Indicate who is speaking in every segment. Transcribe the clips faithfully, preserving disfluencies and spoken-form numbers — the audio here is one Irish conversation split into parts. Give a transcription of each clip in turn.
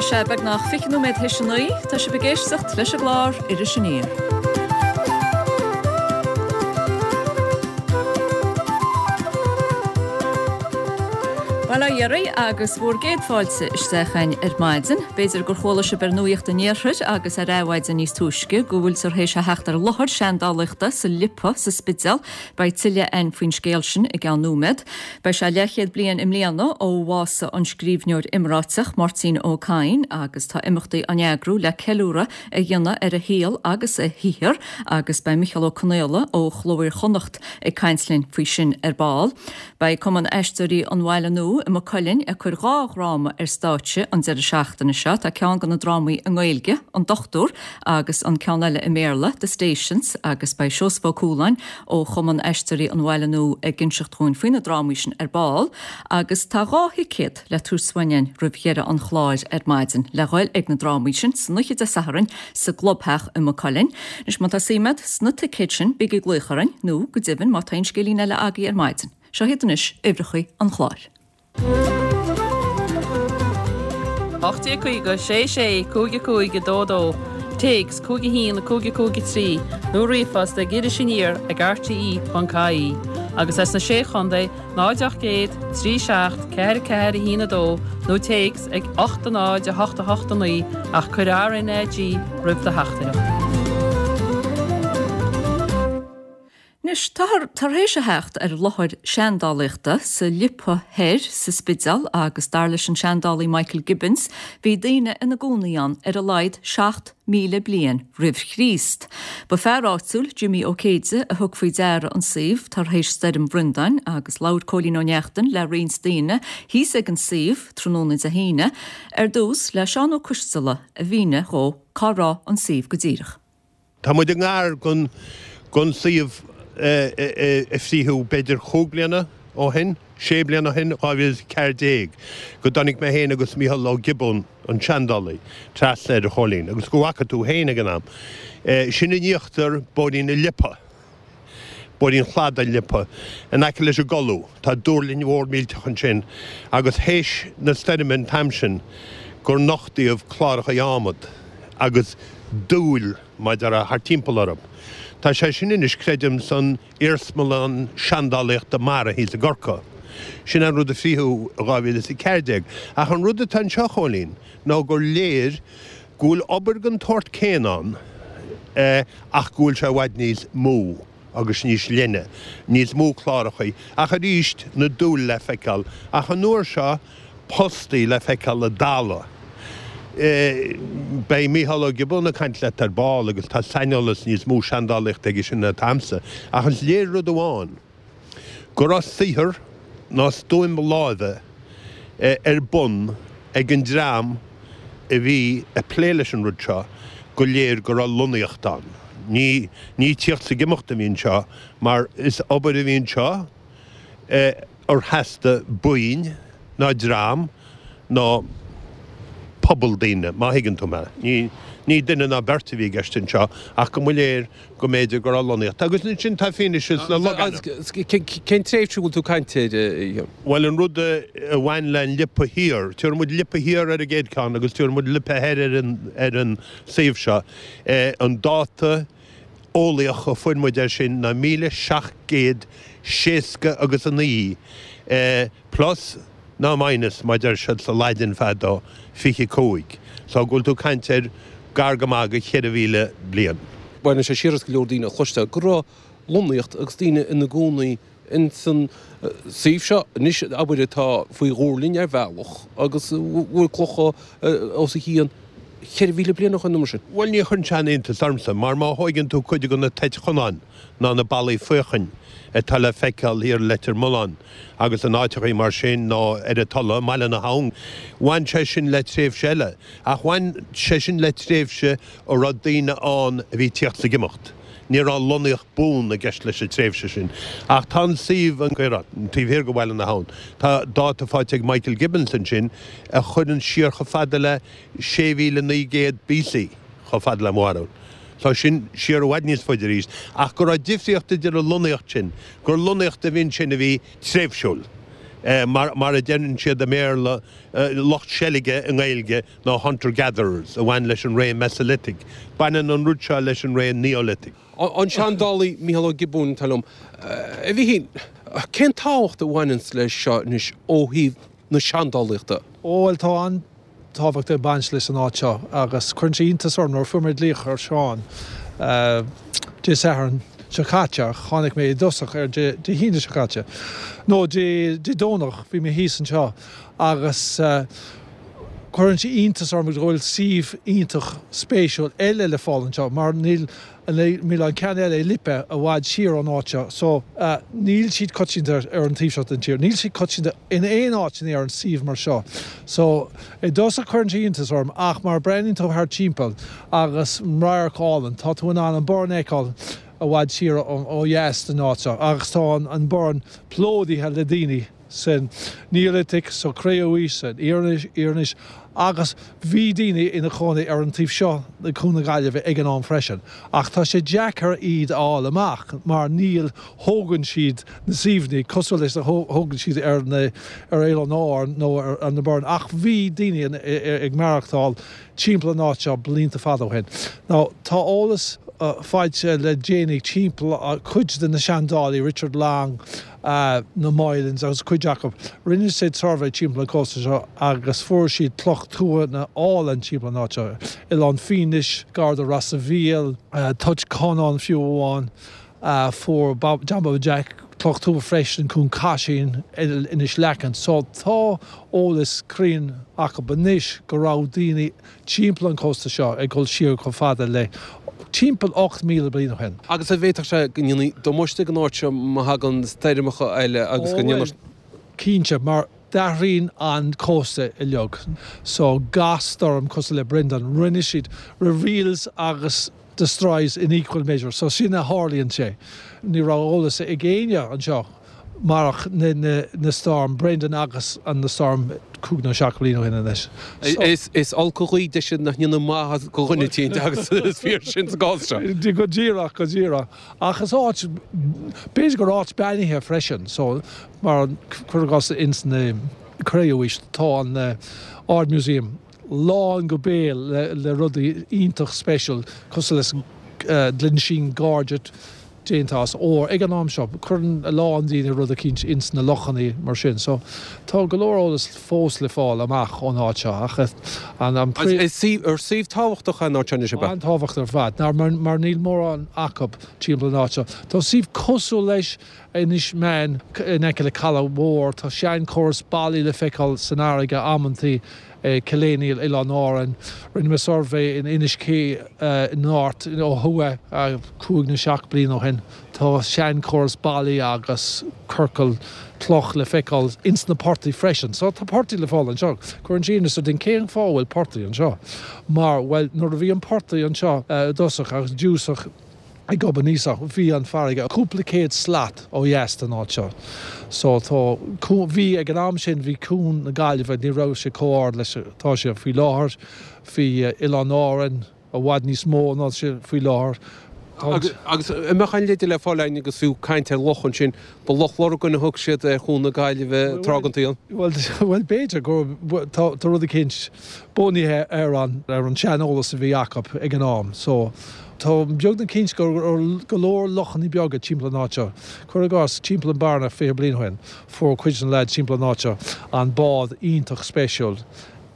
Speaker 1: sé beagnach fiche nóiméad théis a naoi, tá sibh ag éisteacht leis an gclár Iris Aniar. Bail ó Dhia oraibh agus bhur gcéad fáilte isteach againn ar maidin. B'fhéidir gur chuala sibh ar Nuacht an Iarthair agus ar Adhmhaidin níos túisce go bhfuiltear théis a theacht ar láthair seandálaíochta sa Liopa sa Spidéal. Beidh tuilleadh againn faoin scéal sin i gceann nóiméad. Beidh sé leathchéad bliain i mbliana ó bhásaigh an scríbhneoir iomráiteach Máirtín Ó Cadhain agus tá imeachtaí á n-eagrú le ceiliúradh a dhéanamh ar a shaol agus a shaothar agus beidh Micheál Ó Conaola ó Chló Iar-Chonnacht ag caint linn faoi sin ar ball. Beidh Cumann Aisteoirí an Bhaile Nua i Maigh Cuilinn ag cur dhá dhráma ar stáitse an deireadh seachtaine seo. Tá ceann de na drámaí i nGaeilge, An Dochtúir, agus an ceann eile i mBéarla, The Stations, agus beidh Seosamh Ó Cualáin ó Chumann Aisteoirí an Bhaile Nua ag inseacht dhúinn faoi na drámaí sin ar ball. Agus tá dhá thicéad le tabhairt uainn roimh dheireadh an chláir ar maidin le dhul ag na drámaí sin san oíche Dé Sathairn sa gClubtheach i Maigh Cuilinn. Anois má tá suim agat sna ticéid sin, bígí ag glaoch orainn, nó go deimhin má tá aon scéilín eile agaibh ar maidin. Seo iad anois uimhreacha an chláir.
Speaker 2: ocht déag caoga, sé sé, cúig a cúig, a dó dó, téacs cúig a haon, cúig a cúig a trí, nó ríomhphost ag Iris Aniar ag rte ponc ie agus as na Sé Chontae, náid ocht gcéad, trí seacht, ceathair ceathair a haon a dó nó téacs ag ocht a náid a hocht a hocht a naoi ach cuir R N A G roimh do theachtaireacht.
Speaker 1: Anois, táthar tar éis a theacht ar láthair seandálaíochta sa Liopa Thoir sa Spidéal agus dar leis an seandálaí Michael Gibbons, bhí daoine ina gcónaí ann ar a laghad seacht míle bliain roimh Chríost. Ba fear áitiúil, Jimmy Ó Céide, a thug faoi deara an suíomh tar éis Stoirm Bhreandáin agus labhair Cóilín Ó Neachtain le roinnt daoine thíos ag an suíomh tráthnóna Dé hAoine, ar dtús le Seán Ó Coisteala a mhínigh dhó cá raibh an suíomh go díreach.
Speaker 3: Tá muid i ngar don suíomh a frítheadh b'fhéidir chúig bliana ó shin, sé bliana ó shin, dhá mhíle is a ceathair déag, go dtáinig mé féin agus Mícheál Ó Giobúin, an seandálaí, trasna air, a Chóilín, agus go bhfaca tú féin ag an am. Sin in íochtar Bóithrín na Liopa. Bóithrín Chladaigh na Liopa, in aice leis an gColú. Tá duirlinn mhór millteach ansin agus théis na stoirme an t-am sin gur nochtaíodh cláracha adhmad agus duail, mar a déarfá, thart timpeall orthu. Tá sé sin anois, creidim, san Iarsmalann Seandálaíochta Mara thíos i gCorcaigh. Sin an rud a frítheadh i dhá mhíle is a ceathair déag. Ach an rud atá anseo, a Chóilín, ná gur léir go bhfuil obair den tsórt céanna ann ach go bhfuil sé i bhfad níos mó agus níos leithne, níos mó clárachaí, ach arís na duail le feiceáil, ach an uair seo postaí le feiceáil i dtalamh. Beidh Mícheál Ó Giobúin ag caint leat ar ball agus tá saineolas níos mó seandálaíochta aige sin ná atá a'msa, ach is léir rud amháin, go raibh saothar ná stuaim láimhe ar bun ag an dream a bhí ag plé leis an rud seo, go léir go raibh lonnaíocht ann. Ní ní tíocht 's ag imeacht a bhí anseo, mar is obair a bhí anseo ar theastaigh buíon ná dream ná pobal daoine, má thuigeann tú mé. Ní ní duine ná beirt a bhí i gceist anseo ach go mba léir go mb'fhéidir go raibh lonnaíocht. Agus ansin tá fianaise sna logainmneacha.
Speaker 4: Cén tréimhse a bhfuil tú ag caint air, a Fhionn?
Speaker 3: Bhuel, an rud a bhain le an Liopa Thiar, tabharfaidh muid Liopa Thiar ar an gcéad cheann agus tabharfaidh muid Liopa Thoir ar an ar an suíomh seo. An dáta eolaíoch a fuair muid air sin ná míle seacht gcéad seasca agus a naoi, plus ná minus, mar a deir siad sa Laidin fadó, fiche cúig. So go bhfuil tú ag caint ar gar go maith go cheithre mhíle bliain.
Speaker 4: Baineann sé siar as go leor daoine a chloisteáil go raibh lonnaíocht agus daoine ina gcónaí ins an suíomh seo anois, abair, atá faoi dhuirlinn ar bhealach agus a bhfuil clocha os a chionn cheithre mhíle bliain ó shoin nó mar sin.
Speaker 3: Bhuel, ní chuireann sé aon iontas ormsa, mar má thóigeann tú cuid de na toit Chonáin ná na ballaí faochain atá le feiceáil thiar i Leitir Mealláin agus in áiteachaí mar sin nó ar an Tulaigh, i mBaile na hAbhann, bhain sé sin le tréimhse eile. Ach bhain sé sin le tréimhse a raibh daoine ann a bhí ag tíocht 's ag imeacht. Ní raibh lonnaíocht buan i gceist leis an tréimhse sin. Ach tá an suíomh an Caorán, taobh thiar de Bhaile na hAbhann. Tá dáta faighte ag Michael Gibbons ansin a chuireann siar chomh fada le sé mhíle naoi gcéad B C, chomh fada le mo bharúil. Tá sin siar i bhfad níos faide arís. Ach go raibh difríocht idir an lonnaíocht sin, gur lonnaíocht a bhí ansin a bhí tréimhsiúil, Mar mar a deireann siad i mBéarla, lucht seilge i nGaeilge ná hunter-gatherers a bhain leis an ré Mesolithic. Baineann an rud seo leis an ré Neolithic.
Speaker 4: An seandálaí Mícheál Ó Giobúin atá liom. A Mhíchíl, cén tábhacht a bhaineanns leis seo anois ó thaobh na seandálaíochta?
Speaker 5: Ó bhuel tá an-tábhacht ag baint leis an áit seo agus cuireann sé iontas orm nuair a fuair mé glaoch ar Seán Dé Sathairn seo caite ach tháinig mé i dtosach ar Dé hAoine seo caite nó Dé Domhnach bhí mé thíos anseo agus cuireann sé iontas orm go bhfuil suíomh iontach spéisiúil eile le fáil anseo mar níl níl an ceann eile i Lipe i bhfad siar ón áit seo so níl siad coitianta ar an taobh seo den tír. Níl siad coitianta in aon áit in Éirinn suíomh mar seo. So i dtosach cuireann sé iontas orm ach mar breathnaíonn tú thart timpeall agus radharc álainn tá tú in ann an Boireann a fheiceáil i bhfad siar ó dheas den áit seo agus tá an Boireann plódaithe le daoine san Neolithic, sa Chré-umhaois, san Iarannaois agus bhí daoine ina chónaí ar an taobh seo de Chuan na Gaillimhe ag an am freisin. Ach tá sé deacair iad a fháil amach mar níl thógann siad na suíomhanna cosúil leis a thógann siad ar na ar Oileáin Árann nó ar na Boirinn ach bhí daoine ag maireachtáil timpeall an áit seo blianta fada ó shin. Now tá eolas faighte le déanaí timpeall cuid de na seandálaí, Richard Long, na Moylans agus cuid acu. Rinne siad suirbhé timpeall an cósta seo agus fuair siad cloch tuanna álainn timpeall an áit seo. Oileán Fínis, gar do Ros a' Mhíl, Toit Conáin fiú amháin. Fuair John Bhaba Jack cloch tua freisin, Cuan Caisín, Inis Leacain. So tá eolas cruinn acu anois go raibh daoine timpeall an chósta seo ag dul siar chomh fada le timpeall ocht míle bliain ó shin.
Speaker 4: Agus an bhféadfadh sé go ndéanfaí damáiste don áit seo má thagann stoirmeacha eile agus go ndéanfar.
Speaker 5: Cinnte, mar d'athraíonn an cósta uilig. So gach stoirm cosúil le Brendan, rinne siad reveals agus destroys in equal measure. So sin a tharlaíonn sé. Ní raibh eolas ag éinne anseo marach na na na storm Brendan agus an na storm cúig nó seacht bliain ó shin anois.
Speaker 4: So. Is is olc an ghaoth deise nach ndéanann maitheas do dhuine eicínt agus is fíor sin sa gcás seo.
Speaker 5: Go díreach, go díreach. Ach is áit, b'fhéidir gur áit beannaithe freisin, so mar cuir i gcás ins na Cré-umhaois tá an Ard Museum lán go béal le le rudaí iontach speisial cosúil leis an Glensheen Gorget déanta as ór ag an am seo. Cuireann a lán daoine rud eicínt ins na lochannaí mar sin. So tá go leor eolas fós le fáil amach ón áit seo ach an an
Speaker 4: Is suíomh ar suíomh tábhachtach é an áit seo anois ab ea?
Speaker 5: An-tábhachtach ar fad. Ná mar mar níl mórán acu timpeall an áit seo. Tá suíomh cosúil leis Inis Meáin in aice le Caladh Mhór. Tá seanchóras ballaí le feiceáil san fharraige amantaí. Cill Éinnill, Oileáin Árann. Rinne mé suirbhé in Inis Cé in Árt ó thuaidh cúig nó seacht bliain ó shin. Tá seanchóras ballaí agus ciorcal cloch le feiceáil ins na portaigh freisin. So tá portaigh le fáil anseo. Cuireann sé iontas ar duine cén fáth a bhfuil portaigh anseo. Mar, bhuel, nuair a bhí an portaigh anseo i dtosach agus i dtosach, Ag Gob an Íosach, bhí an farraige cúpla céad slat ó dheas den áit seo. So tá, bhí, ag an am sin, bhí Cuan na Gaillimhe, ní raibh sé chomh ard leis atá sé faoi láthair, bhí Oileán Árann i bhfad níos mó ná sé faoi láthair.
Speaker 4: Tá. Agus an mbeadh aon leide le fáil againn agus fiú caint ar loch ansin, ba Loch Lurgan a thug siad ar Chuan na Gaillimhe tráth den tsaol.
Speaker 5: Bhuel, bhuel b'fhéidir go, tá, tá rud eicínt bunaithe ar an, ar an sean-eolas a bhí acu ag an am. So. Tá beagnach cinnte go raibh go leor lochanna beaga timpeall an áit seo. Cuir i gcás, timpeall an Bhearna fiche bliain ó shin, fuair cuid de na leaids timpeall an áit seo an bád iontach spéisiúil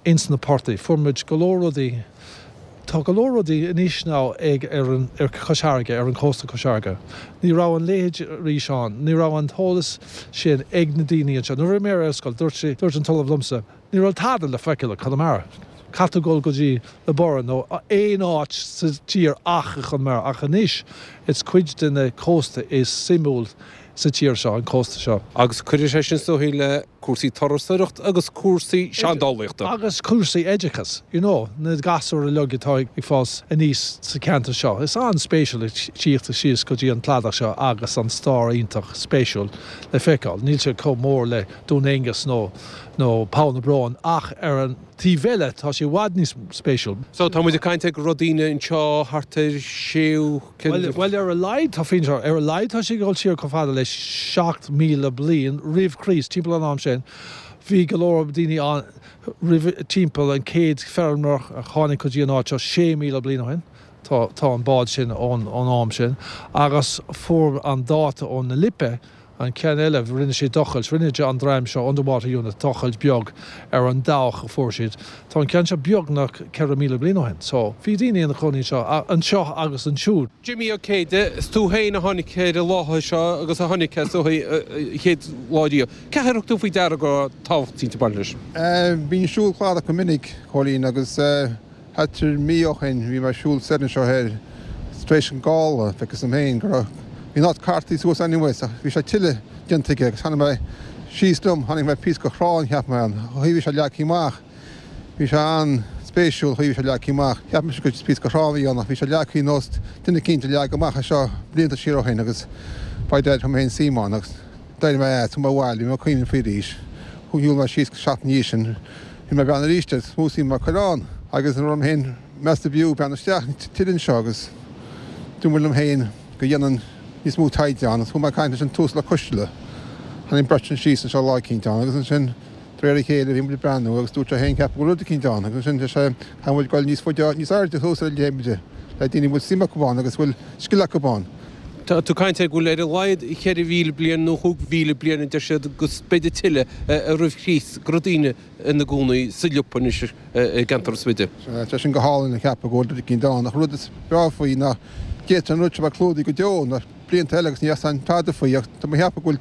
Speaker 5: ins na portaigh. Fuair muid go leor rudaí, tá go leor rudaí anois now ag ar an, ar Chois Fharraige, ar an cósta Cois Fharraige. Ní raibh an leithéid arís ann, ní raibh an t-eolas sin ag na daoine anseo. Nuair a bhí mé ar scoil, dúirt sé, dúirt an t-ollamh liomsa, ní raibh tada le feiceáil i Conamara. Caithfidh tú dul go dtí na Boirinn nó aon áit sa tír ach i Conamara. Ach anois is cuid de na cósta is suimiúil sa tír seo, an cósta seo.
Speaker 4: Agus cuirfidh sé sin is dóigh le cúrsaí turasóireachta agus cúrsaí seandálaíochta.
Speaker 5: Agus cúrsaí oideachais, you know, na gasúir uilig atá ag fás aníos sa cheantar seo. Is an-spéisiúil tíocht síos go dtí an cladach seo agus an stair iontach spéisiúil le feiceáil. Níl sé chomh mór le Dún Aengus nó nó Poll na Brón ach ar an taobh eile tá sé i bhfad níos spéisiúil.
Speaker 4: So tá muid ag caint ar go raibh daoine anseo thart ar séú
Speaker 5: Bhuel, bhuel ar a laghad tá fianaise, ar a laghad tá sé ag dul siar chomh fada le le seacht míle bliain roimh Chríost timpeall an am sin. Bhí go leor daoine ann roimh timpeall an chéad feirmeoir a tháinig go dtí an áit seo sé míle bliain ó shin. Tá tá an bád sin ón ón am sin agus fuair an dáta ón na Lipe an ceann eile rinne sé tochailt, rinne an dream seo Underwater Unit tochailt beag ar an dabhach a fuair siad. Tá an ceann seo beagnach ceithre míle bliain ó shin, so bhí daoine ina gcónaí seo anseo agus ansiúd.
Speaker 4: Jimmy Ó Céide, is tú féin a tháinig ar an láthair seo agus a tháinig as ó chéad lá riamh. Cé thug tú faoi deara go tábhacht ag baint leis?
Speaker 6: Bím ag siúl cladach go minic, Cóilín, agus thart ar mí ó shin bhí mé ag siúl soir anseo thoir tar éis an gála, feicis dom féin go raibh Bhí an áit cartaithe suas anyway ach bhí sé tuilleadh déanta aige agus tháinig mé síos liom, tháinig mé píosa go thrá cheap mé an chaoi bhí sé leagtha amach. Bhí sé an-spéisiúil chaoi bhí sé leagtha amach. Cheap mise gur píosa go thrá a bhí ann ach bhí sé leagtha nós duine eicínt a leag amach é seo blianta siar ó shin agus by dad chuir mé féin suim ann agus d'éirigh mé as, chuaigh mé abhaile, bhí mé ag cuimhneamh faoi arís. Shiúil mé síos seachtain ina dhiaidh sin, bhí mé ag breathnú arís air, is mó suim mar chuir ann agus an raibh mé féin measta b'fhiú breathnú isteach tuilleadh anseo agus dúirt mé liom féin go dhéanfainn níos mó taighde ann. Chuaigh mé ag caint leis an tUasal Ó Coisteala. Tháinig beirt againn síos anseo lá eicínt ann agus ansin de réir a chéile bhí muid ag breathnú agus dúirt sé féin ceapaim go bhfuil rud eicínt ann agus ansin deir sé caithfidh muid goil níos faide níos airde thuas ar an léimide le daoine a bhfuil suim acu ann agus a bhfuil scil acu ann.
Speaker 4: Tá tú ag caint ar go bhfuil ar a laghad cheithre mhíle bliain nó chúig mhíle bliain a deir siad agus b'fhéidir tuilleadh roimh Chríost go raibh daoine ina gcónaí sa Liopa anois i gceantar an Spidéil.
Speaker 6: Tá sin go hálainn a cheapadh go bhfuil rud eicínt ann ach rud is breá faoi ná d'fhéadfadh an rud seo bheith clúdaithe go deo na blianta eile agus ní fheas tada faoi ach tá mé ag ceapadh go bhfuil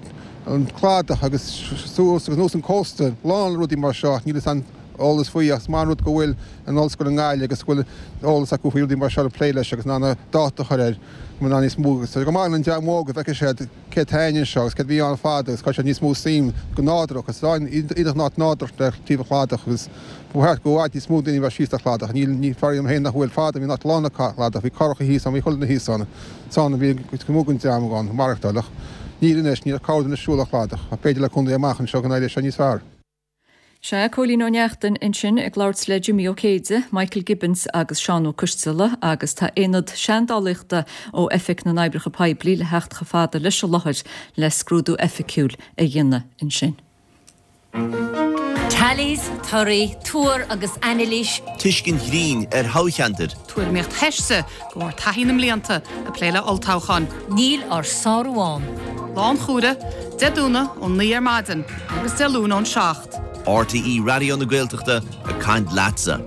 Speaker 6: an cladach agus suas agus anuas an cósta lán le rudaí mar seo ach níl fhios an eolas faoi ach is maith an rud go bhfuil an ollscoil i nGaillimh agus go bhfuil eolas acu faoi rudaí mar seo le plé leis agus in ann dáta a chur air go mbeidh níos mó agus go maith an dream óg go bhfeicfidh siad cé atá anseo agus céard a bhí ann fada agus cuirfidh siad níos mó suim go nádúrach agus iontach an áit nádúrach le taobh an chladach agus ba cheart go bhfad níos mó daoine a bheith síos ar chladach. Níl, ní fear liom féin nach bhfuil fada, bhí an áit lán le cladach, bhí curacha thíos ann, bhí chuile dhuine thíos ann, ann a bhí cuid mhór den dream ann, maireachtáil ach níl anois, níl ach corrdhuine ag siúl ar chladach ach b'fhéidir le contae amach anseo go n-éireoidh sé níos fearr.
Speaker 1: Sea, Cóilín Ó Neachtain ansin ag labhairt le Jimmy Ó Céide, Michael Gibbons agus Seán Ó Coisteala agus tá aonad seandálaíochta ó Oifig na nOibreacha Poiblí le theacht chomh fada leis an láthair le scrúdú oifigiúil a dhéanamh ansin.
Speaker 7: Tallies, torthaí, tuar agus anailís.
Speaker 8: Tuiscint ghrinn ar thoghcheantair.
Speaker 2: Tuairimíocht theiste go bhfuair taithí na mblianta ag plé le olltoghcháin.
Speaker 7: Níl ár sárú ann.
Speaker 2: Lá an Chomhrá, Dé Domhnaigh ón naoi ar maidin agus Dé Luain ón seacht.
Speaker 8: RTÉ Raidió na Gaeltachta ag caint leatsa.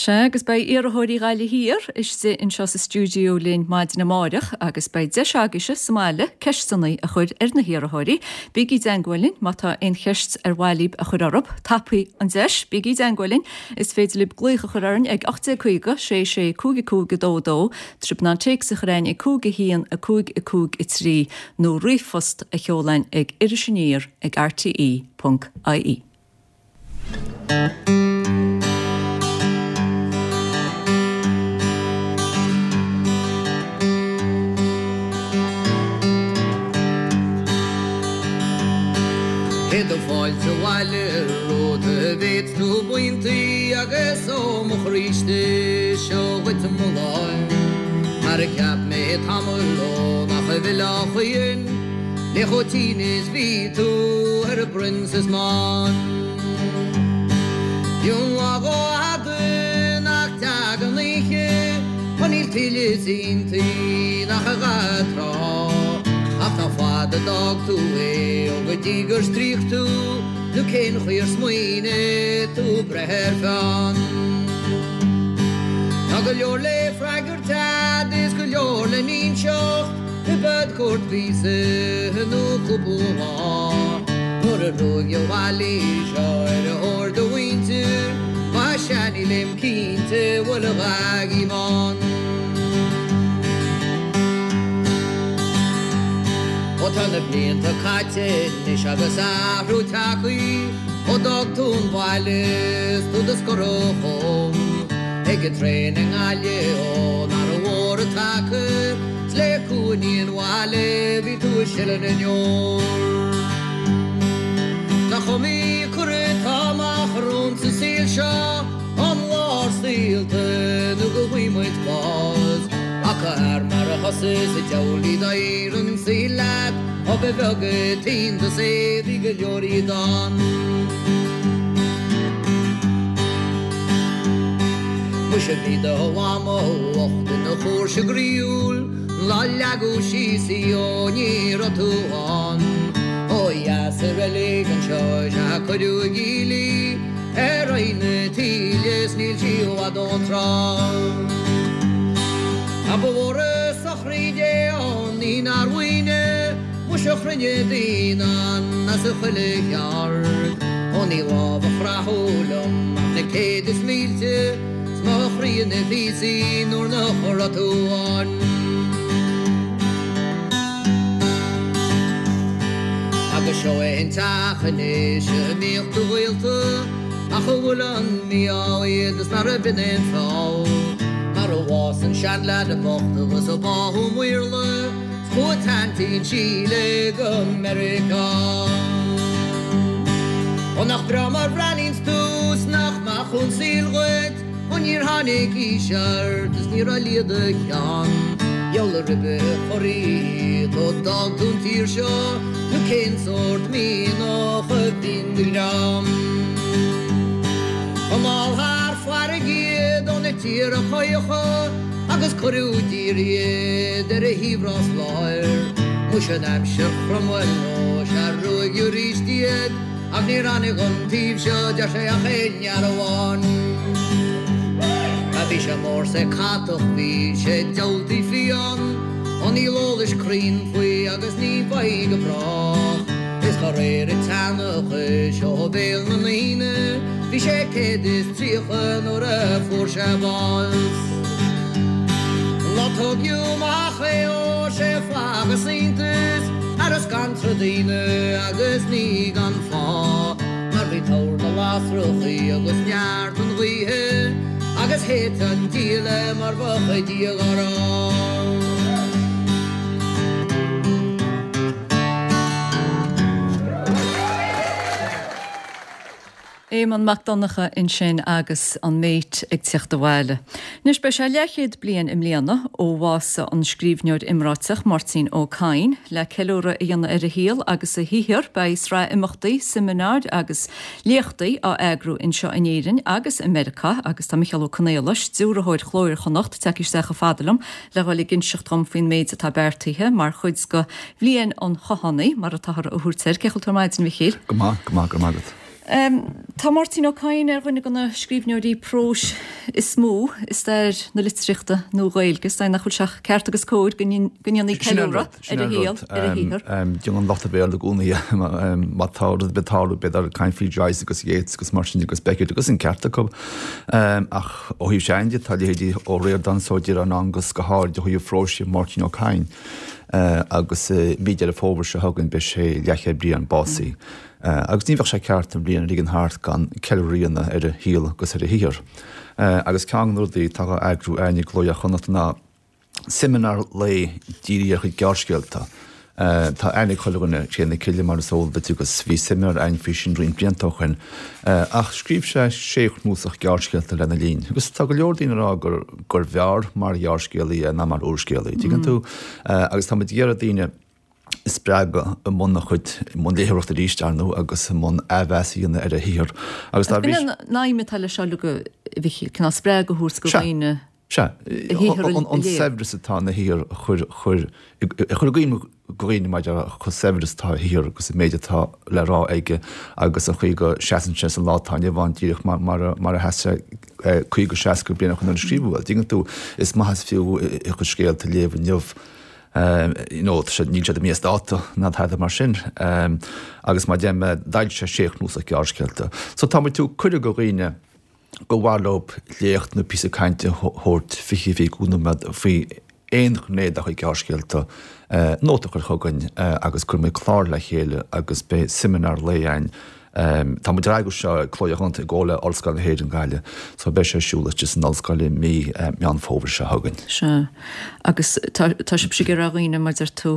Speaker 1: Sea agus beidh iarrthóirí Ghaillimh Thiar istigh anseo sa stiúideo linn maidin amárach agus beidh deis agaibhse sa mbaile ceisteanna a chur ar na hiarrthóirí. Bígí i dteagmháil linn má tá aon cheist ar mhaith libh a chur orthu, tapaigh an deis, bígí i dteagmháil linn, is féidir libh glaoch a chur orainn ag ocht déag caoga sé sé cúig cúig dó dó, trib ná téacs a chur chugainn ag cúig a haon a cúig a cúig a trí nó ríomhphost a sheoladh ag Iris Aniar ag rte ponc ie.
Speaker 9: Céad fáilte abhaile romhat a mhéid nó buíontaí agus ó mo chroí istigh seo dhuit mo láimh. Mar a cheap mé tamall ó nach bhfuil a choíonn le chomh tinn is bhí tú ar an bPrincess mBán. Bíonn lá fada nach dtagann oíche, má níl tuilleadh inti nach a dhath tráth. Ach nach fada d'fhág tú é ó go dtí gur stríoc tú, nó cén chaoi ar smaoinigh tú breith ar pheann. Tá go leor le freagairt a'd is go leor le n-inseacht, i bpad cúirt mhíosa nó cúpla lá. Nuair a ruaigeadh abhaile seo ar a thóir do mhuintir, más ea nílim cinnte bhfuil a dhath bán. Ó tá na blianta caite anois agus athrú tagtha, ó d'fhág tú an baile is tú do scoradh chugam. Ag an traein i nGaillimh ón Aire Mhór a taca, 's le cúinní an bhaile bhí tú ag sileadh na ndeor. Nach iomaí cuireadh atá amach romhainn sa saol seo, ón lá ár saolta nó go bhfaighidh muid bás, ach a fhear mar a cosa is an diabhal iad ar an saol leat Ó ba bheag an t-iontas é bhí go leor iad ann. Muise bhí do mhamó bhocht ina chóirse groíúil An lá a leagadh síos í ó ní raibh tú ann Ó dheas sa reilig anseo is ea a cuireadh i gcill í Ar aghaidh na taoille is níl sí i bhfad ón trá. Ach ba mhór an sochraid é an ní nár mhaoine Muise chruinnigh daoine ann as chuile cheard Ó ní lámh a chroitheadh liom ach na céad is mílte 'S mo chroí ina phíosaí nuair nach raibh tú ann. Agus seo é an teach anois a mbíodh do ghaolta Ach a bhfuil an mí-ádh iad is nárbh in aon fáth Mar a bhásaigh an seanleaid bocht agus a báthadh m'Iarla 's chuaigh t-aintín Síle go Meiriceá. Ó nach breá mar bhreathnaíonns tú 's nach maith chun saoil dhuit Ó níor tháinig aois ort is ní raibh liath do cheann Diabhal a ribe chorraí iad ó d'fhág tú an tír seo Nó cén sórt mianach a bhí in do dhream. Anall thar farraige iad ó na tíortha caocha Agus cuireadh i dtír iad ar a thaobh Ros Láir Muise in aimsir Chromwell ó sea ruaigeadh arís iad Ach níor tháinig an taobh seo deir sé ach aon fhear amháin. A bhí sé mór 's é catach bhí sé diabhaltaí fiáin Ó níl eolas cruinn faoi agus ní bheidh go brách Is de réir an tseanchais ó bhéal na ndaoine Bhí sé céad is tríocha nuair a fuair sé bás. An lá tógadh amach é ó sé phacas iontas Ar a scanradh daoine agus ní gan fáth Mar bhí tor na lasrachaí agus neart an ghaoithe Agus thit an diabhal é mar bheadh Dia dhá rá.
Speaker 1: Éamonn Mac Donncha ansin agus an Méit ag teacht abhaile. Anois beidh sé leathchéad bliain i mbliana ó bhásaigh an scríbhneoir iomráiteach Máirtín Ó Cadhain. Le ceiliúradh a dhéanamh ar a shaol agus a shaothar beidh sraith imeachtaí, seimineáir agus léachtaí á eagrú anseo in Éirinn agus i Meiriceá agus tá Micheál Ó Conaola, stiúrthóir Chló Iar-Chonnacht, tagtha isteach chomh fada liom le dhul ag inseacht dhom faoin méid atá beartaithe mar chuid de Bhliain an Chathánaigh, mar atáthar a thabhairt air. Cén chaoi a bhfuil tú ar maidin, a Mhichíl?
Speaker 10: Go maith, go maith, go raibh maith agat.
Speaker 1: Tá Máirtín Ó Cadhain ar dhuine de na scríbhneoirí próis is mó i stair na litríochta Nua-Ghaeilge. Is dóigh nach bhfuil sé ach ceart agus cóir go ndéanfaí ceiliúradh ar a shaol, ar a shaothar.
Speaker 10: Déanann an lucht Béarla i gcónaí má tá rud ar bith ag tarlú bíodar ag caint faoi Joyce agus Yeats agus mar sin agus Beckett agus an ceart acu. Ach ó thaobh Seán de tá leithéidí Ó Ríordáin is Ó Direáin agus go háirid ó thaobh phróis Máirtín Ó Cadhain agus mí Deireadh Fómhair seo chugainn beidh sé leathchéad bliain básaithe. Agus ní bheadh sé ceart an bhliain a ligean thart gan ceiliúradh a dhéanamh ar a shaol agus ar a shaothar. Agus ceann de na rudaí atá á eagrú againn i gCló Iar-Chonnacht ná seimineár lae dírithe ar a chuid gearrscéalta. Tá aithne ag chuile dhuine ar Cré na Cille mar is eol duit agus bhí seimineár againn faoi sin roinnt blianta ó shin. Ach scríobh sé sé chnuasach gearrscéalta lena linn agus tá go leor daoine ag rá gur gurbh fhearr mar ghearrscéalaí é ná mar úrscéalaí, tuigeann tú? Agus tá muid ag iarraidh daoine a spreagadh i mbun a chuid, i mbun léitheoireachta arís, ar ndóigh, agus i mbun athmheas a dhéanamh ar a shaothar.
Speaker 1: Agus dá bhrí. An aidhm atá leis seo uilig, a Mhichíl, cineál spreagadh a thabhairt do dhaoine
Speaker 10: a shaothar a léamh. An saibhreas atá ina shaothar a chur, chur, a chur i gcuimhne do dhaoine maidir le chomh saibhir is atá a shaothar agus an méid atá le rá aige agus an chaoi go seasann sé sa lá atá inniu ann díreach mar, mar a, mar a sheas sé caoga, seasca bliain ó shin nuair a scríobhadh é. Tuigeann tú, is maith is fiú a chuid scéalta a léamh inniu. You know, níl siad imithe as dáta ná tada mar sin. Agus mar a deir mé, d'fhoilsigh sé sé chnuasach gearrscéalta. So tá muid ag tabhairt cuireadh do dhaoine gur mhaith leo léacht nó píosa cainte a thabhairt fiche, fiche cúig nóiméad faoi aon ghné dá chuid gearrscéalta, nóta a chur chugainn agus cuirfidh muid clár le chéile agus beidh seimineár lae againn Tá muid ag eagrú seo, Cló Iar-Chonnacht i gcomhar le Ollscoil na hÉireann Gaillimh, so beidh sé ar siúl istigh san ollscoil i mí Meán Fómhair seo chugainn.
Speaker 1: Sea. Agus tá, tá sibhse ag iarraidh ar dhaoine, mar deir tú,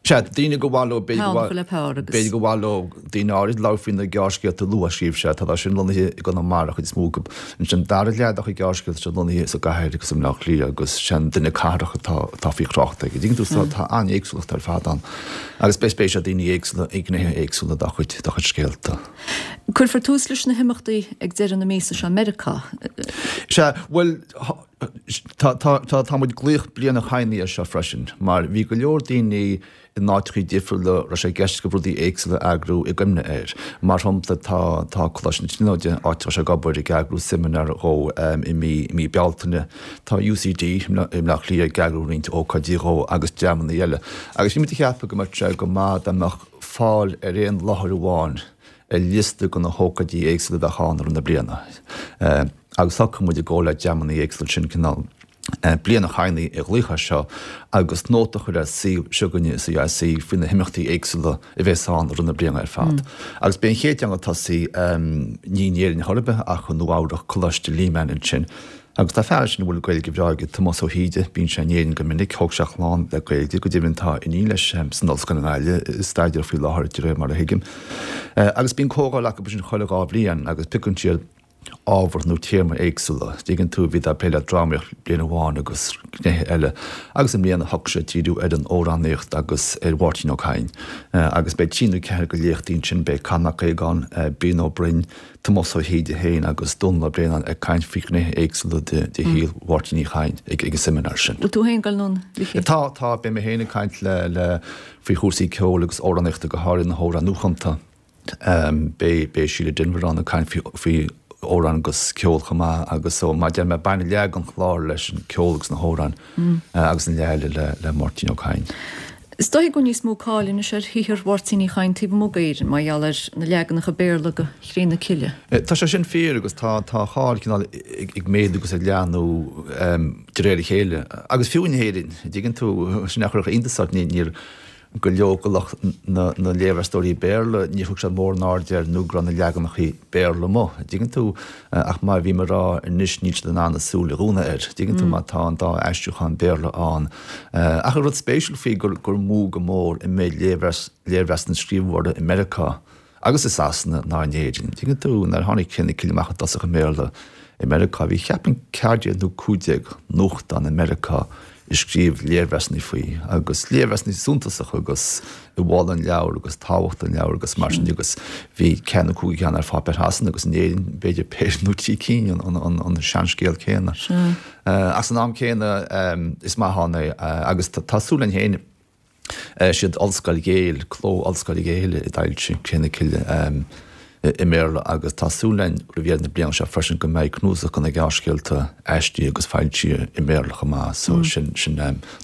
Speaker 10: Sea, daoine gur mhaith leo, b'fhéidir go b'fhéidir gur mhaith leo daoine áirid labhairt faoi na gearrscéalta luath a scríobh sé, tá sin lonnaithe i gConamara chuid is mó acu. Ansin dara leath dá chuid gearrscéalta tá lonnaithe sa gcathair agus i mBleá Cliath agus sé an duine cathrach atá atá faoi thrácht aige. Dtuigeann tú so tá an-éagsúlacht ar fad ann agus beidh spéis ag daoine éagsúla i ngnéithe éagsúla dá chuid dá chuid scéalta.
Speaker 1: Cuirfear tús leis na himeachtaí ag deireadh na míosa seo i Meiriceá.
Speaker 10: Sea, bhuel, Tá, tá, tá, tá muid ag glaoch Bliain an Chadhnaigh air seo freisin, mar bhí go leor daoine in áiteachaí difriúla a raibh sé i gceist acu rudaí éagsúla a eagrú i gcuimhne air. Mar shampla, tá, tá Coláiste na Tríonóide, áit a raibh sé ag obair, ag eagrú seimineár dhó i mí, i mí Bealtaine. Tá UCD i mBleá Cliath ag eagrú roinnt ócáidí dhó agus dreamanna eile. Agus bhí muid ag ceapadh go mbeadh sé go maith dá mbeadh fáil ar aon láthair amháin ar liosta de na hócáidí éagsúla a bheadh ann i rith na bliana. Agus shocraigh muid i gcomhar le dreamanna éagsúla sin cineál Bliain an Chadhnaigh a ghlaoch air seo agus nóta a chur ar suíomh s'againne i CIC faoi na himeachtaí éagsúla a bheas ann i rith na bliana ar fad. Agus b'é an chéad cheann ag tosaí ní in Éirinn chor ar bith ach i Nua Eabhrac, Coláiste Lehman ansin. Agus tá fear ansin a bhfuil Gaeilge bhreá aige, Tomás Ó hÍde, bíonn sé in Éirinn go minic, thóg sé a chlann le Gaeilge, go deimhin tá iníon leis san ollscoil i nGaillimh ag staidéar faoi láthair de réir mar a thuigim. Agus bíonn comhdháil acu ansin chuile dhá bhliain agus piocann siad ábhar nó téama éagsúla. Dtuigeann tú, bhíodar ag plé le drámaíocht bliain amháin agus gnéithe eile agus i mbliana shocraigh siad díriú ar an amhránaíocht agus ar Mháirtín Ó Cadhain. Agus beidh trí nó ceathair de léachtaí ansin, beidh Conn Mac Aogáin, Brian Ó Broin, Tomás Ó hÍde féin agus Dónall Ó Braonáin ag caint faoi ghnéithe éagsúla de shaol Mháirtín Uí Chadhain ag an seimineár sin.
Speaker 1: Bhfuil tú féin ag dul anonn, a Mhichíl?
Speaker 10: Tá, tá. Beidh mé féin ag caint le, le, faoi chúrsaí ceoil agus amhránaíochta, go háirithe na hamhráin nuachumta. Beidh, beidh Síle Denvir ann ag caint faoi, faoi amhráin agus ceol chomh maith agus so mar a deir mé baineann leath den chlár leis an ceol agus na hamhráin agus an leath eile le, le Máirtín Ó Cadhain.
Speaker 1: Is dóigh go bhfuil níos mó cáil anois ar shaothar Mháirtín Uí Chadhain taobh amuigh d'Éirinn mar gheall ar na leaganacha Béarla de Chré na Cille.
Speaker 10: Tá sé sin fíor agus tá tá a cháil cineál ag méadú agus ag leathnú de réir a chéile. Agus fiú in Éirinn, an dtuigeann tú, sin a chuirfeadh iontas ort, níor go leor de lucht na léirmheastóirí Béarla, níor thug siad mórán airde air nó go raibh na leaganacha Béarla amuigh, an dtuigeann tú, ach mar a bhí mé ag rá anois níl siad in ann a súil a dhúnadh air, an dtuigeann tú, má tá an dá aistriúchán Béarla ann. Ach an rud spéisiúil faoi gur gur mó go mór an méid léirmheasanna a scríobhadh orthu i Meiriceá agus i Sasana ná in Éirinn. An dtuigeann tú, nuair a tháinig Cré na Cille amach i dtosach i mBéarla i Meiriceá, bhí cheapfainn ceathair déag nó cúig déag nuachtán i Meiriceá ag scríobh léirmheasanna faoi, agus léirmheasanna suntasacha agus ag moladh an leabhair agus tábhacht an leabhair agus mar sin de agus bhí ceathair nó cúig cheann ar pháipéir Shasana agus in Éirinn b'fhéidir péire nó trí cinn an seanscéal céanna. Ach san am céanna is maith ann é agus tá súil againn féin Siad Ollscoil Yale, Cló Ollscoil Yale a d'fhoilsigh Cré na Cille i mBéarla agus tá súil againn roimh dheireadh na bliana seo freisin go mbeidh cnuasach de na gearrscéalta aistrithe agus foilsithe i mBéarla chomh maith so sin sin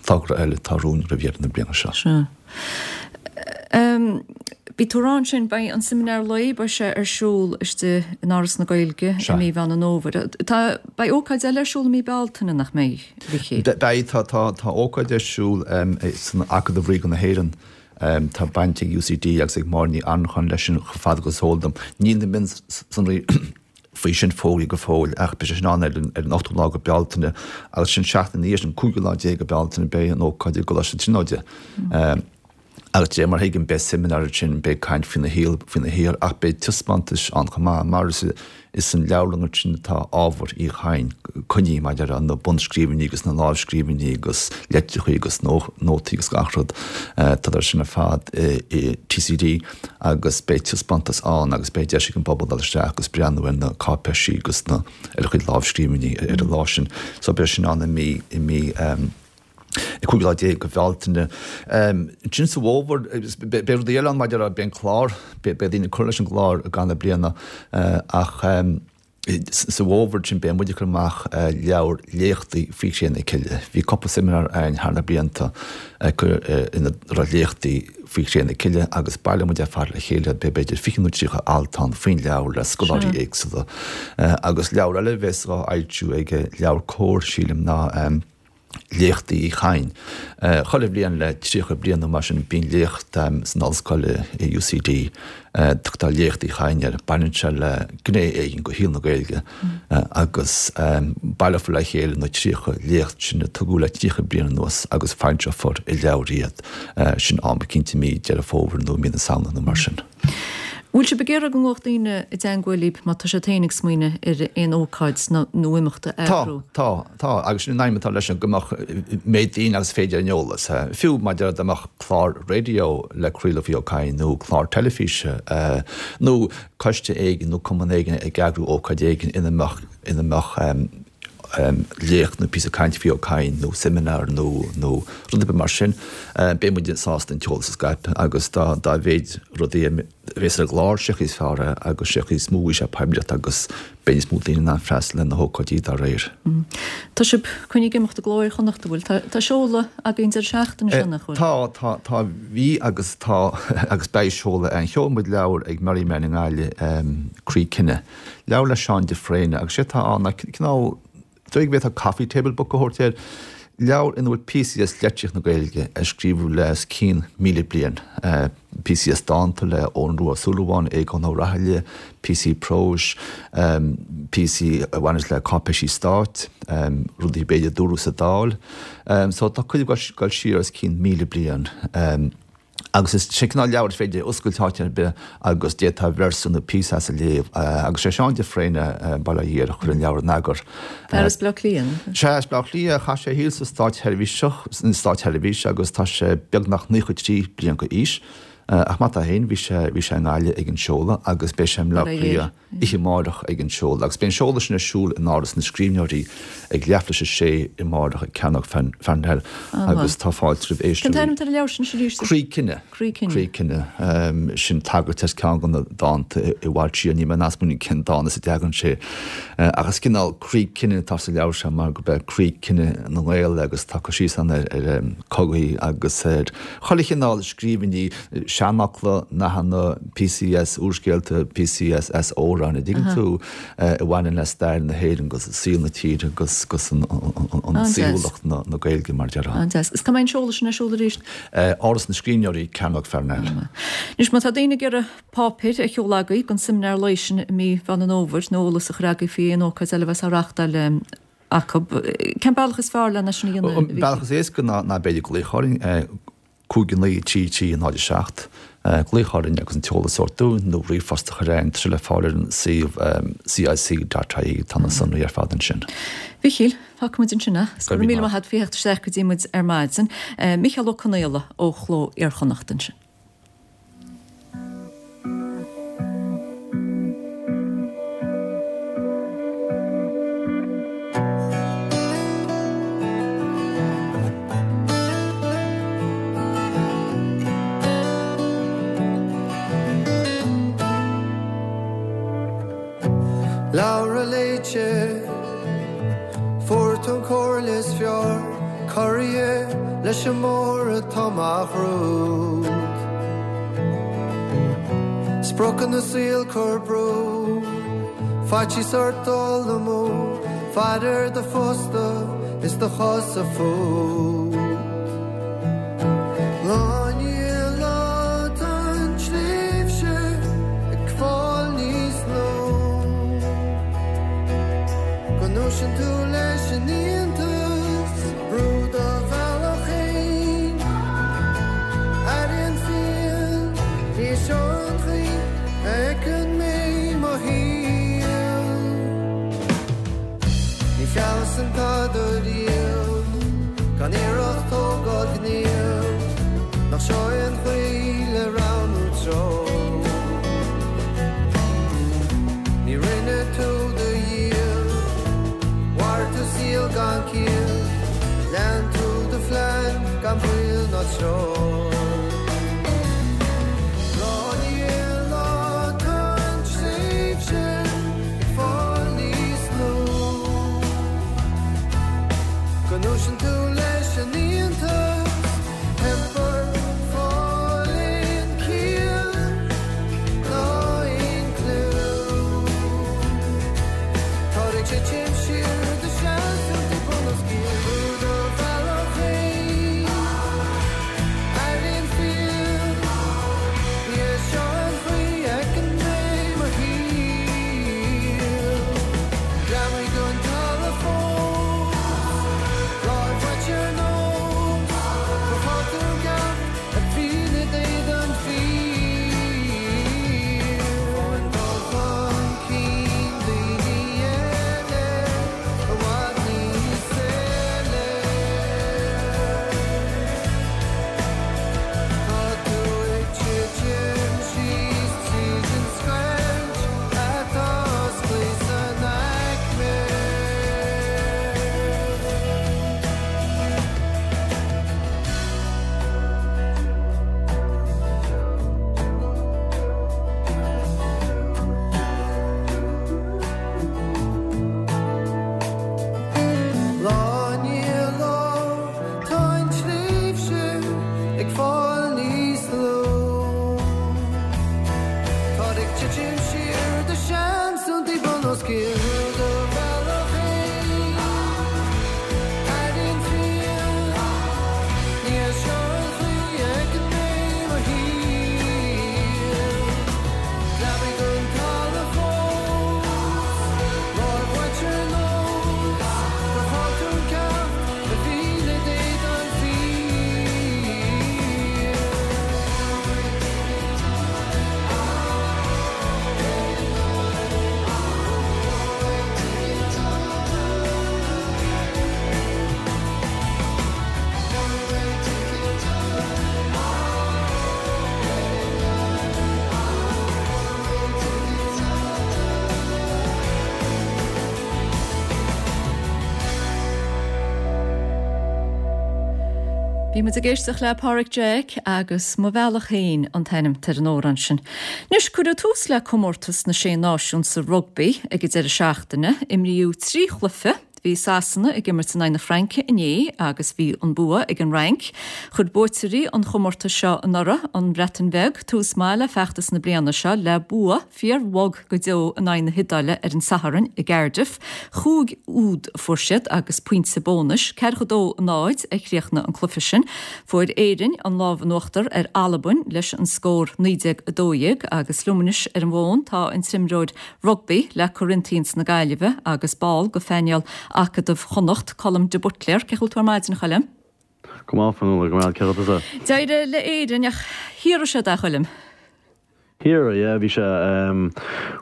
Speaker 10: togra eile atá romhainn roimh dheireadh na bliana seo.
Speaker 1: Sea. Bhí tú ag rá ansin, beidh an seimineár lae, beidh sé ar siúl istigh in Áras na Gaeilge i mí Mheán an Fhómhair. Tá, beidh ócáid eile ar siúl i mí Bealtaine, nach mbeidh, a Mhichíl?
Speaker 10: Beidh, tá, tá, tá ócáid ar siúl san Acadamh Ríoga na hÉireann. Tá baint ag UCD agus ag Máire Ní Annracháin leis sin chomh fada agus is eol dom. Níl na mionsonraí faoi sin fógraithe go fóill ach beidh sé sin ann ar an ar an ochtú lá de Bealtaine agus sin seachtain ina dhiaidh sin, cúigiú lá déag de Bealtaine, beidh an ócáid i gColáiste na Tríonóide. Agus de réir mar a thuigim, beidh seimineár ansin, beidh caint faoina shaol, faoina shaothar, ach beidh taispeántais ann chomh maith, mar is is san leabharlann ansin atá ábhar Uí Chadhain coinnithe, mar a déarfá, na bunscríbhinní agus na lámhscríbhinní agus litreacha agus nótaí agus gach rud, tá sin ar fad i TCD agus beidh taispeántas ann agus beidh deis ag an bpobal dul isteach agus breathnú ar na cáipéisí agus na ar a chuid lámhscríbhinní ar an lá sin. So beidh sin ann i mí i mí. an cúigiú lá déag de Bhealtaine. Ansin sa bhfómhar, beidh rudaí eile ann maidir le, beidh an clár, beidh daoine ag cur leis an gclár i gcaitheamh na bliana ach sa bhfómhar sin beidh muid ag cur amach leabhar léachtaí faoi Chré na Cille. Bhí cúpla seimineár againn thar na blianta ina raibh léachtaí faoi Chré na Cille agus baileoidh muid ar fad le chéile, beidh b'fhéidir fiche nó tríocha alt ann faoin leabhar le scoláirí éagsúla. Agus leabhar eile a bheas á fhoilsiú ag LeabhairCOMHAR, sílim, ná. Léachtaí Uí Chadhain. Chuile bhliain le tríocha bliain nó mar sin bíonn léacht san ollscoil i UCD, tugtar Léacht Uí Chadhain air, baineann sé le gné éigin de shaol na Gaeilge agus baileofar le chéile na tríocha léacht sin a tugadh le tríocha bliain anuas agus foilseofar i leabhar iad, sin am eicínt i mí Deireadh Fómhair nó mí na Samhna nó mar sin.
Speaker 1: Bhfuil sibh ag iarraidh go nglaofadh daoine i dteangmháil libh má tá siad féin ag smaoineamh ar aon ócáid nó imeacht a eagrú?
Speaker 10: Tá, tá, tá, agus sin an aidhm atá leis go mbeadh méid daoine agus féidir ar an eolas. Fiú mar a déarfá dá mbeadh clár raidió le craoladh faoi Ó Cadhain nó clár teilifíse nó coiste éigin nó cumann éigin ag eagrú ócáid éigin ina mbeadh, ina mbeadh léacht nó píosa cainte faoi Ó Cadhain nó seimineár nó nó rud ar bith mar sin, beidh muid sásta an t-eolas a scaipeadh agus dá dá mhéid rudaí a bheas ar an gclár, sé chaoi is fearr é agus sé chaoi is mó a bhfaighidh sé poiblíocht agus beidh níos mó daoine in ann freastal ar na hócáidí dá réir.
Speaker 1: Tá sibh coinnithe ag imeacht i gCló Iar-Chonnacht, an bhfuil? Tá tá seoladh agaibh an deireadh seachtaine seo, nach bhfuil?
Speaker 10: Tá, tá, tá, bhí agus tá agus beidh seoladh ann. Sheol muid leabhar ag Merriman i nGaillimh, Croí Cine. Leabhar le Seán de Fréine agus sé atá ann ná cineál, dóigh go bhféadfá coffee table book a thabhairt air, leabhar ina bhfuil píosaí as litríocht na Gaeilge a scríobhadh le os cionn míle bliain, píosaí as dánta le Eoghan Rua Ó Súilleabháin, Aogán Ó Rathaille, píosaí próis, píosaí a bhaineas le cáipéisí stáit, rudaí b'fhéidir a dúradh sa Dáil. So tá cuid ag dul siar os cionn míle bliain. Agus is é cineál leabhar is féidir a oscailt áit ar bith agus d'fhéadfá véarsa nó píosa as a léamh. Agus sé Seán de Fréine, Baile Átha Thiar, a chuir an leabhar in eagar.
Speaker 1: Fear as Baile Átha Cliath, an ea?
Speaker 10: Sea, as Baile Átha Cliath. Chaith sé a shaol sa státseirbhíseach, san státseirbhís agus tá sé beagnach naocha trí bliain d'aois. Ach mar tá féin, bhí sé, bhí sé i nGaillimh ag an seoladh agus beidh sé i mBleá Cliath oíche amárach ag an seoladh. Agus beidh an seoladh sin ar siúl in Áras na Scríbhneoirí ag leath leis a sé amárach ag Cearnóg Pharnell agus tá fáilte roimh
Speaker 1: éisteoirí. Cén t-ainm atá ar an leabhar sin arís?
Speaker 10: Croí Cine.
Speaker 1: Croí Cine.
Speaker 10: Croí Cine. Sin tagairt as ceann de na dánta i bhfad siar, níl mé in ann smaoineamh cén dán as a dtagann sé. Ach is cineál croí cine atá sa leabhar seo mar gurb é croí cine na nGael agus tá cur síos ann ar chogaí agus ar chuile chineál scríbhinní, seanfhocla, nathanna, píosaí as úrscéalta, píosaí as as amhráin, an dtuigeann tú, a bhaineann le stair na hÉireann agus saol na tíre agus agus an saoithiúlacht na Gaeilge mar a déarfá.
Speaker 1: An-deas. Is cá mbeidh an seoladh sin ar siúl arís?
Speaker 10: Áras na Scríbhneoirí, Cearnóg Pharnell.
Speaker 1: Anois má tá daoine ag iarraidh páipéir a sheoladh agaibh don seimineár lae sin i mí Mheán an Fhómhair nó eolas a chur agaibh faoi aon ócáid eile a bheas á reáchtáil acu, cén bealach is fearr lena sin a dhéanamh?
Speaker 10: An bealach is éasca ná ná b'fhéidir glaoch orainn, cúig naoi trí trí náid a seacht, glaoch orainn agus an t-eolas a thabhairt dúinn nó ríomhphost a chur chugainn, tá sé le fáil ar an suíomh cic dot ie, tá na sonraí ar fad ansin.
Speaker 1: Mhichíl, fágfaidh muid ansin é. Go raibh míle maith agat faoi theacht isteach go dtí muid ar maidin. Micheál Ó Conaola ó Chló Iar-Chonnacht ansin.
Speaker 11: Leabhar léite, Fuair tú an chomhairle is fearr, corraithe leis an mbóthar atá mo chrúd. Spriocanna saoil cur brú, faitíos ort dul amú, faire ar do phosta is do chosa fút. Lá i ndiaidh lá tá an tréimhse ag fáil níos lú. Go ndúisíonn tú leis an iontas, brú do bhealach féin. Airíonn fial, ní seo an chaoi a fheiceann mé mo shaol. Ní fealsann tada riamh, gan iarracht.
Speaker 1: Bhí muid ag éisteacht le Páraic Jack agus Mo Bhealach Féin an t-ainm ar an amhrán sin. Anois cuireadh tús le comórtas na Sé Náisiún sa rugbaí ag an deireadh seachtaine, imríodh trí chluiche, bhí Sasana ag imirt in aghaidh na Fraince inné agus bhí an bua ag an Fhrainc. Chuir buaiteoirí an chomórtais seo anuraidh, an Bhreatain Bheag, tús maith le feachtas na bliana seo le bua fíorbhog go deo in aghaidh na hIodáile ar an Satharn i gCardiff. Chúig úd a fuair siad agus pointe bónais, ceathracha dó a náid a chríochnaigh an cluiche sin. Fuair Éirinn an lámh in uachtar ar Albain leis an scór naoi déag a dó dhéag agus liom anois ar an bhfón tá an t-imreoir rugbaí le Corinthians na Gaillimhe agus ball de phainéal Acadamh Chonnacht, Colm de Buitléar. Cén chaoi a bhfuil tú ar maidin, a Choilm?
Speaker 12: Go maith, Fionnuala, go maith, cén chaoi a bhfuil tusa?
Speaker 1: D'éirigh le Éirinn ach shaothraigh siad é, a Choilm.
Speaker 12: Shaothraigh, yeah, bhí sé,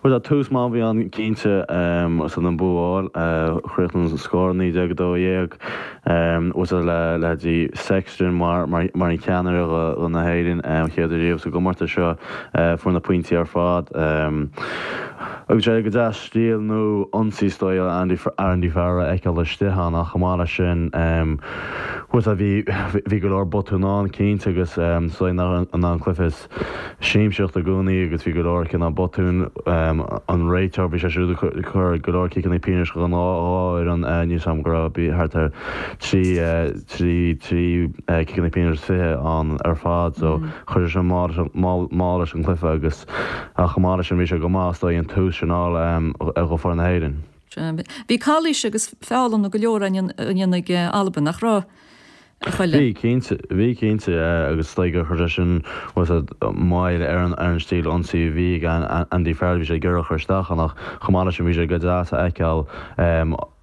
Speaker 12: bhuel, tús maith a bhí ann cinnte san an bua a fháil, chríochnaigh an scór naoi déag a dó dhéag, bhuel, le leithéidí Sexton mar mar an cheannaire do na hÉireann, an chéad uair riamh sa gcomórtas seo, fuair na pointí ar fad. Agus sé go deas stíl nua ionsaí is dóigh Andy Andy Farrell a fheiceáil istigh ann ach chomh maith leis sin, bhuel, bhí bhí go leor botún ann cinnte agus is dóigh nach an cluiche is siamsaíocht i gcónaí agus bhí go leor cineál botún an réiteoir bhí sé siúd ag cur go leor ciceanna pionóis don dhá fhoireann níl a fhios agam go raibh bhí thart ar trí trí trí ciceanna pionóis is fiche ann ar fad so chuir sé sin mall mall leis an gcluiche agus ach chomh maith leis sin bhí sé go maith is dóigh an tús sin a fháil do foireann na hÉireann.
Speaker 1: Bhí calaois agus feallanna go leor á ndéanamh ag Albain, nach raibh, a Choilm?
Speaker 12: Bhí, cinnte. Bhí, cinnte. Agus is dóigh gur chuir sé sin moill ar an ar an stíl ionsaí a bhí ag Andy Farrell. Bhí sé ag iarraidh a chur isteach ann ach chomh maith leis sin bhí sé go deas a fheiceáil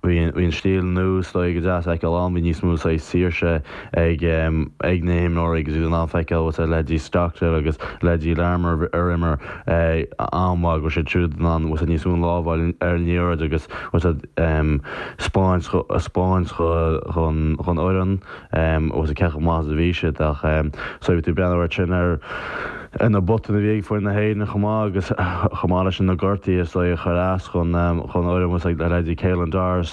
Speaker 12: Bhí an stíl nua is dóigh go deas a fheiceáil ann, bhí níos mó saghas saoirse ag ag na himreoirí agus iad in ann feiceáil bhfuil leithéidí Stockdale agus leithéidí Larmour ar imir an-mhaith go raibh siad siúd in ann bhfuil níos mó lámh a fháil ar an liathróid agus bhfuil spáint spáint dhon dhon fhoireann bhfuil cé chomh maith is a bhí siad ach so bhí tú ag breathnú air sin ar ar na botúin a bhí ag foireann na hÉireann chomh maith agus chomh maith leis na gortuithe is dóigh a chuir as dhon fhoireann was like leithéidí Caelan Doris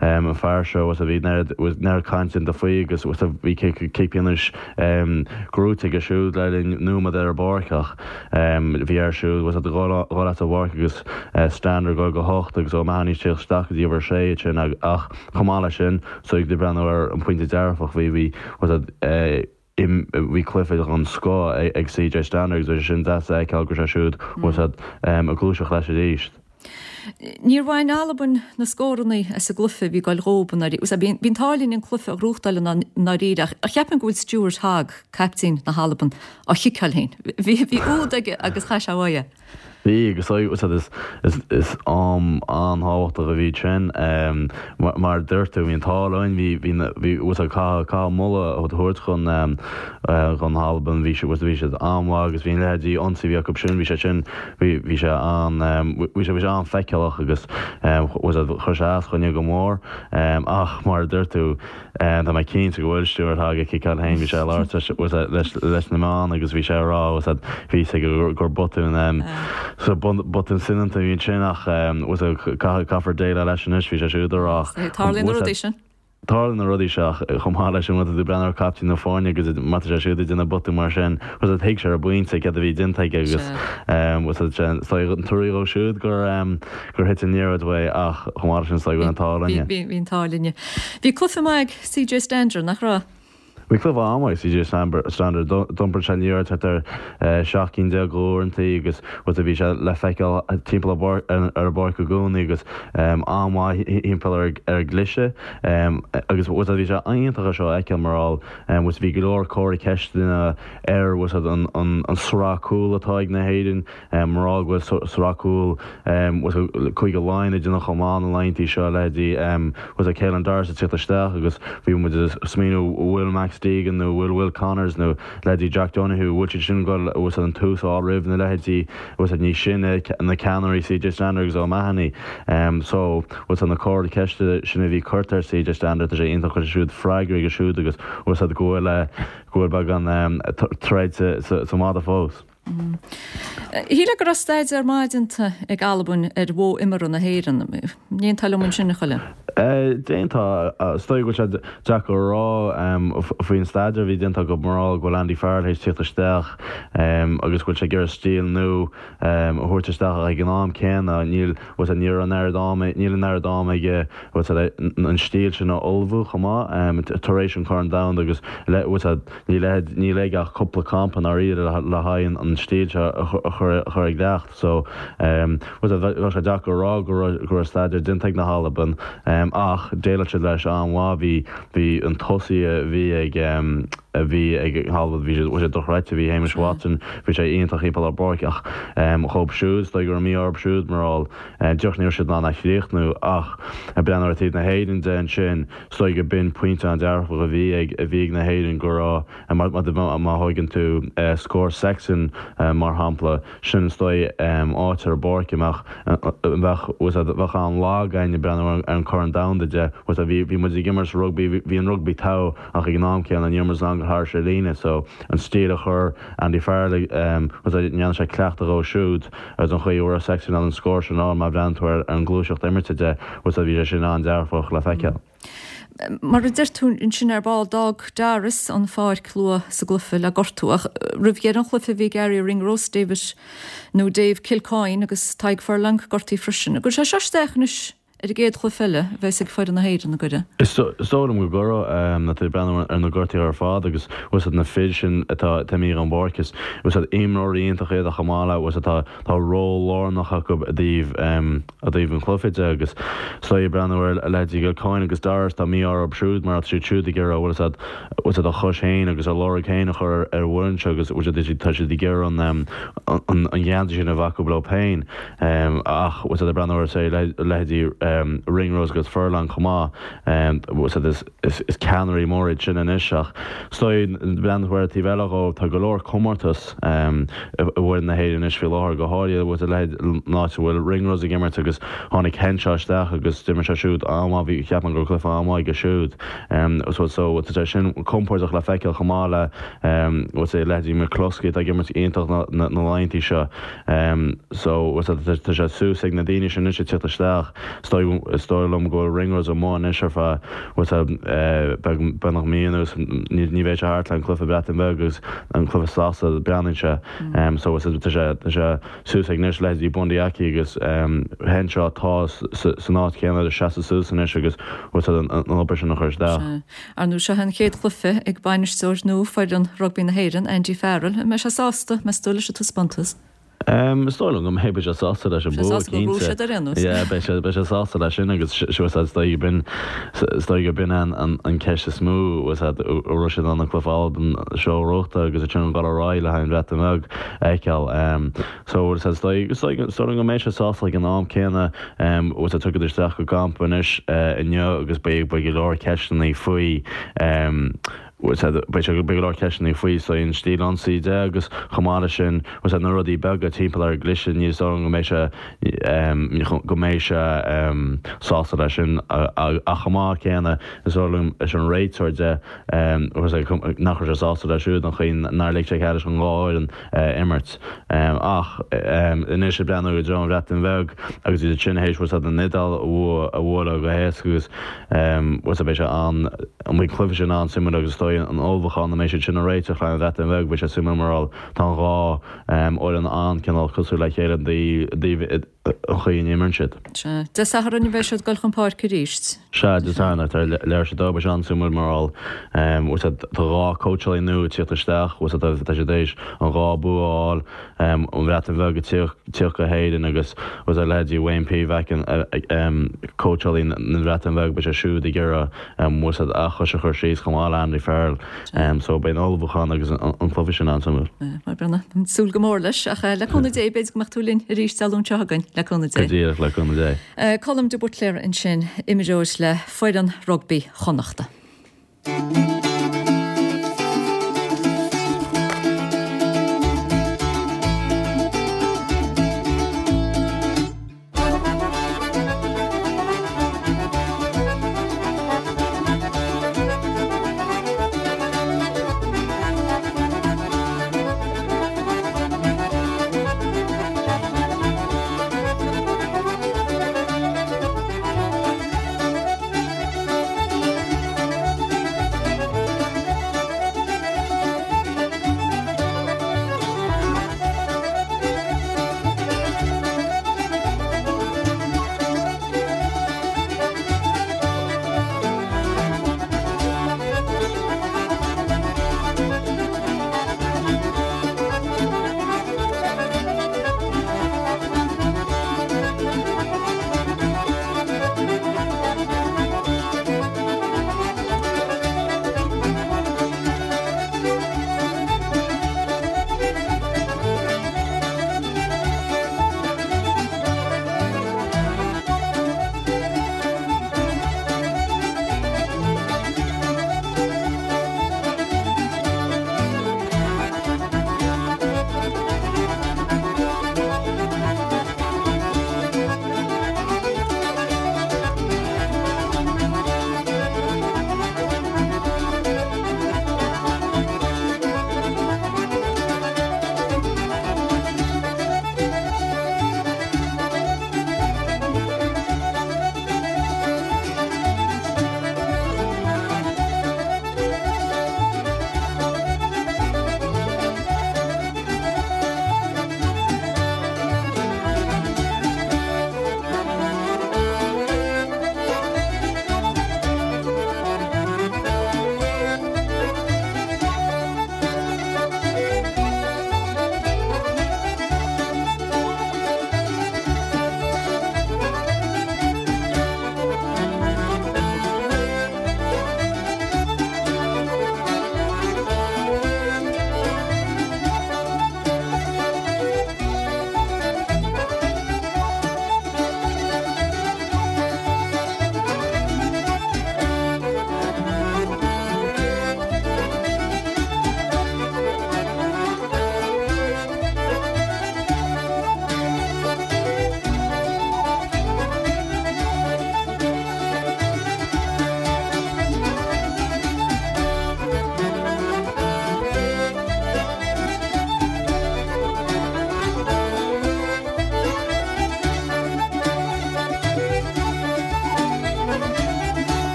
Speaker 12: an fear seo was a bhí neart cainte déanta faoi agus was a bhí cic pionóis gnóthaithe aige siúd le linn nóiméad ar an bpáirc ach bhí air siúd was a dhul as an bpáirc agus Stander ag dul go hocht agus O'Mahony ag tíocht isteach go dtí uimhir a sé ansin ach chomh maith leis sin so ag breathnú ar an pointe dearfach bhí bhí was a Bhí cluiche den scoth ag CJ Stander agus bhí sé sin deas a fheiceáil go raibh sé siúd ag gluaiseacht leis arís.
Speaker 1: Níor bhain Albain na scóranna as an gcluiche a bhí ag goil dhóibh i ndáiríre. Bhí an t-ádh linn an cluiche a ghnóthachtáil i ndáiríre ach cheapfainn go bhfuil Stuart Hogg, caiptín na hAlban, á chiceáil féin. Bhí úd aige agus chaith sé uaidh é.
Speaker 12: Bhí, agus is is am an-tábhachtach a bhí sin. Mar a dúirt tú, bhí an t-ádh linn, bhí bhí bhí caithfidh caithfidh moladh a thabhairt chun chun na hAlban, bhí siad bhí siad an-mhaith agus bhí an leithéidí ionsaí a bhí acu sin, bhí sé sin bhí bhí sé an bhí sé bhí sé an-fheiceálach agus chuir sé as dhúinne go mór. Ach mar a dúirt tú, Tá mé cinnte go bhfuil Stuart Hogg ag ciceáil féin, bhí sé ag labhairt leis na meáin agus bhí sé ag rá bhí a fhios aige gur botún botún soineanta a bhí ansin ach caithfear déileáil leis anois, bhí sé siúd ag rá.
Speaker 1: Tarlaíonn na rudaí sin.
Speaker 12: Tarlaíonn na rudaí seo ach chomh maith leis sin má tá tú ag breathnú ar captaen na foirne agus má tá sé siúd ag déanamh botún mar sin thuig sé ar an bpointe céard a bhí déanta aige agus an trua dhó siúd gur gur thit an liathróid uaidh ach chomh maith leis sin is dóigh go bhfuil an t-ádh linne.
Speaker 1: Bhí, bhí an t-ádh linne. Bhí cluiche maith ag CJ Stander, nach raibh?
Speaker 12: Bhí cluiche an-mhaith ag CJ Stander. D'iompair sé an liathróid thart ar seacht gcinn déag d'uaireantaí agus bhí sé le feiceáil timpeall ar an bpáirc i gcónaí agus an-mhaith thimpeall ar an gcliseadh agus bhí sé iontach é seo a fheiceáil mar gheall bhí go leor comhartha ceisteanna ar an sraith cúl atá ag na hÉirinn. Mar gheall go bhfuil sraith cúl Cúige Laighean ag déanamh chomh maith na laethanta seo, leithéidí bhfuil Caelan Doris ag tíocht isteach agus bhí muid ag smaoineamh an bhfuil Max Deegan nó an bhfuil Will Connors nó leithéidí Jack Donohue, an bhfuil siad sin ag dul bhfuil an tús a fháil roimh na leithéidí bhfuil níos sine, na ceannairí CJ Stander agus O'Mahony. So bhfuil na comharthaí ceiste sin a bhí curtha ar CJ Stander, tá sé iontach go bhfuil siúd freagra aige siúd agus bhfuil go bhfuil go bhfuil beagán troid sa mhadadh fós.
Speaker 1: Shílfeá go raibh staidéar maith déanta ag Albain ar mhodh imeartha na hÉireann. An aontófá liom ansin, a Choilm?
Speaker 12: Déanta is dóigh go bhfuil sé deacair a rá faoin staidéar a bhí déanta acu mar go bhfuil Andy Farrell théis tíocht isteach agus go bhfuil sé ag iarraidh stíl nua a thabhairt isteach ach ag an am céanna níl ní raibh an oiread ama níl an oiread ama aige an stíl sin a ullmhú chomh maith tar éis an Corn Domhanda agus níl níl aige ach cúpla campa i ndáiríre le haghaidh an stíl seo a chur i gcleacht so bheadh sé deacair a rá go raibh staidéar déanta ag na hAlban. Ach dhéileáil siad leis an-mhaith. Bhí, bhí an tosaí a bhí ag, a bhí ag hAlbain, bhí sé, bhí sé dochreidte, bhí Hamish Watson, bhí sé iontach thimpeall ar an bpáirc ach dhóibh siúd, is dóigh go raibh mí-ádh orthu siúd mar gheall, díreach ní raibh siad in ann a chríochnú ach ag breathnú ar taobh na hÉireann de ansin, is dóigh go b'in pointe an-dearfach a bhí ag, a bhí ag na hÉireann go raibh, má, má thóigeann tú scór Sexton mar shampla, sin is dóigh áit ar an bpáirc a mbeadh, bheadh, bheadh an-lag againn ag breathnú ar an Corn Domhanda de, bhí, bhí muid ag imirt rugbaí, bhí an rugbaí togha ach ag an am céanna ní raibh muid in ann dul thar an líne so an stíl a chuir Andy Farrell, ndearna sé cleachtadh dhó siúd agus an chaoi a raibh Sexton in ann an scór sin a fháil má bhreathnaíonn tú ar an ngluaiseacht imirte de, bhí sé sin an-dearfach le feiceáil.
Speaker 1: Mar a deir tú ansin ar ball, d'fhág Doris an pháirc luath sa gcluiche le gortú ach roimh dheireadh an chluiche bhí Garry Ringrose, David nó Dave Kilcoyne agus Tadhg Furlong gortaithe freisin. An gcuirfidh sé seo isteach anois ar an gcéad chluiche eile a bheas ag foireann na hÉireann, an gcuirfidh?
Speaker 12: Is dóigh liom go gcuirfidh, nuair atá tú ag breathnú ar na gortuithe ar fad agus bhfuil siad na fir sin atá imithe den bpáirc is bhfuil siad imreoirí iontacha iad ach chomh maith le bhfuil siad tá tá ról lárnach acu i dtaobh i dtaobh an chluiche de agus is dóigh ag breathnú ar leithéidí Kilcoyne agus Doris tá mí-ádh orthu siúd mar tá siad siúd ag iarraidh bhfuil siad bhfuil siad a chois féin agus a lorg féin a chur ar an bhfoireann seo agus bhfuil siad tá siad ag iarraidh an an an geansaí sin a bheith acu leo féin ach bhfuil siad ag breathnú ar say leithéidí Ringrose agus Furlong chomh maith bhfuil siad is is ceannairí móra iad sin anois ach is dóigh breathnú ar an taobh eile dhó, tá go leor comórtas i bhfoireann na hÉireann anois faoi láthair, go háirithe bhfuil a leithéid an áit a bhfuil Ringrose ag imirt agus tháinig Henshaw isteach agus d'imir sé siúd an-mhaith, bhí, cheap mé go raibh cluiche an-mhaith aige siúd. So so tá sé sin compordach le feiceáil chomh maith le bhfuil sé leithéidí McCloskey atá ag imirt iontach na na laethanta seo. So tá sé suas ag na daoine sin anois ag tíocht isteach. Is dóigh liom go bhfuil Ringrose amuigh anois ar feadh beagnach mí anuas. Ní bheidh sé thart le an cluiche Breatain Bheag agus an cluiche Sasana breathnaíonn sé. So tá sé tá sé suas ag anois leithéidí Bundee Aki agus Henshaw atá san áit chéanna le seasamh suas anois agus an obair sin a chur isteach.
Speaker 1: Ar ndóigh seo an chéad chluiche ag bainisteoir nua foireann rugbaí na hÉireann, Andy Farrell. An mbeidh sé sásta, meas tú, leis an taispeántas?
Speaker 12: Is dóigh liom go mbeidh, beidh sé sásta leis an bua, cinnte. Yeah, beidh sé, beidh sé sásta leis sin agus is dóigh go b'in, is dóigh go b'in an an ceist is mó, an raibh siad in ann an cluiche Albain seo a ghnóthachtáil agus ansin dul ar aghaidh le haghaidh an Bhreatain Bheag a fheiceáil. So, is dóigh, is dóigh, is dóigh liom go mbeidh sé sásta ag an am céanna, tugadh isteach go gcampa anois inniu agus beidh, beidh go leor ceisteanna faoi. Beidh sé, beidh go leor ceisteanna faoi so an stíl ionsaí de agus chomh maith leis sin bhfuil na rudaí beaga timpeall ar an gcliseadh ní is dóigh liom go mbeidh sé go mbeidh sé sásta leis sin ach chomh maith céanna is dóigh liom leis an réiteoir de nach raibh sé sásta leis siúd an chaoi nár lig sé cead leis an dhá fhoireann imirt ach anois ag breathnú i dtreo an Bhreatain Bheag agus iad sin théis bhfuil an Iodáil a bhualadh go héasca agus bhfuil beidh sé an an mbeidh cluiche sin an-suimiúil agus is dóigh an ullmhúchán a mbeidh siad sin a réiteach le an Bhreatain Bheag beidh sé suimiúil mar gheall tá an dhá fhoireann an-cineál cosúil le chéile i dtaobh an chaoi a n-imríonn siad.
Speaker 1: Sea. Dé Sathairn a bheidh siad ag dul chun páirce arís.
Speaker 12: Sea, Dé Sathairn ar leathuair tar éis a dó beidh sé an-suimiúil mar gheall tá dhá cóitseálaí nua ag tíocht isteach tá siad théis an dhá bua a fháil an Bhreatain Bheag ag tíocht go hÉirinn agus bhfuil a leithéidí Wayne Pivac cóitseálaí na Breataine Bheag beidh sé siúd ag iarraidh bhfuil siad a chois a chur síos chomh maith le Andy Farrell so beidh an ullmhúchán agus an cluiche sin an-suimiúil.
Speaker 1: Mar breathnú, súil go mór leis ach le cúnamh Dé b'fhéidir go mbeadh tú linn arís Dé Luain seo chugainn le cúnamh Dé.
Speaker 12: Go díreach le cúnamh
Speaker 1: Dé. Colm de Buitléar ansin, imreoir le foireann rugbaí Chonnachta.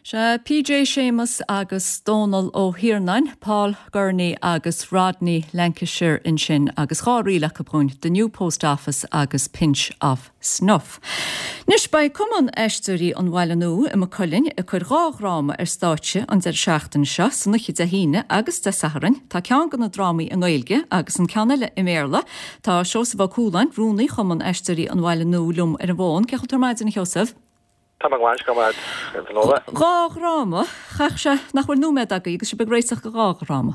Speaker 1: Sea, PJ Séamus agus Dónal Ó hIarnáin, Paul Gurney agus Rodney Lancashire ansin agus dhá ríl acu dhúinn, The New Post Office agus Pinch of Snuff. Anois beidh Cumann Aisteoirí an Bhaile Nua i Maigh Cuilinn ag cur dhá dhráma ar stáitse an deireadh seachtaine seo, san oíche Dé hAoine agus Dé Sathairn. Tá ceann de na drámaí i nGaeilge agus an ceann eile i mBéarla. Tá Seosamh Ó Cualáin, Rúnaí Chumann Aisteoirí an Bhaile Nua liom ar an bhfón. Cén chaoi a bhfuil tú ar maidin, a Sheosaimh?
Speaker 13: Tá mé go maith, go maith, Fionnuala.
Speaker 1: Dhá dhráma, chaithfeadh sé nach bhfuil nóiméad agaibh agus sibh ag réiteach do dhá dhráma.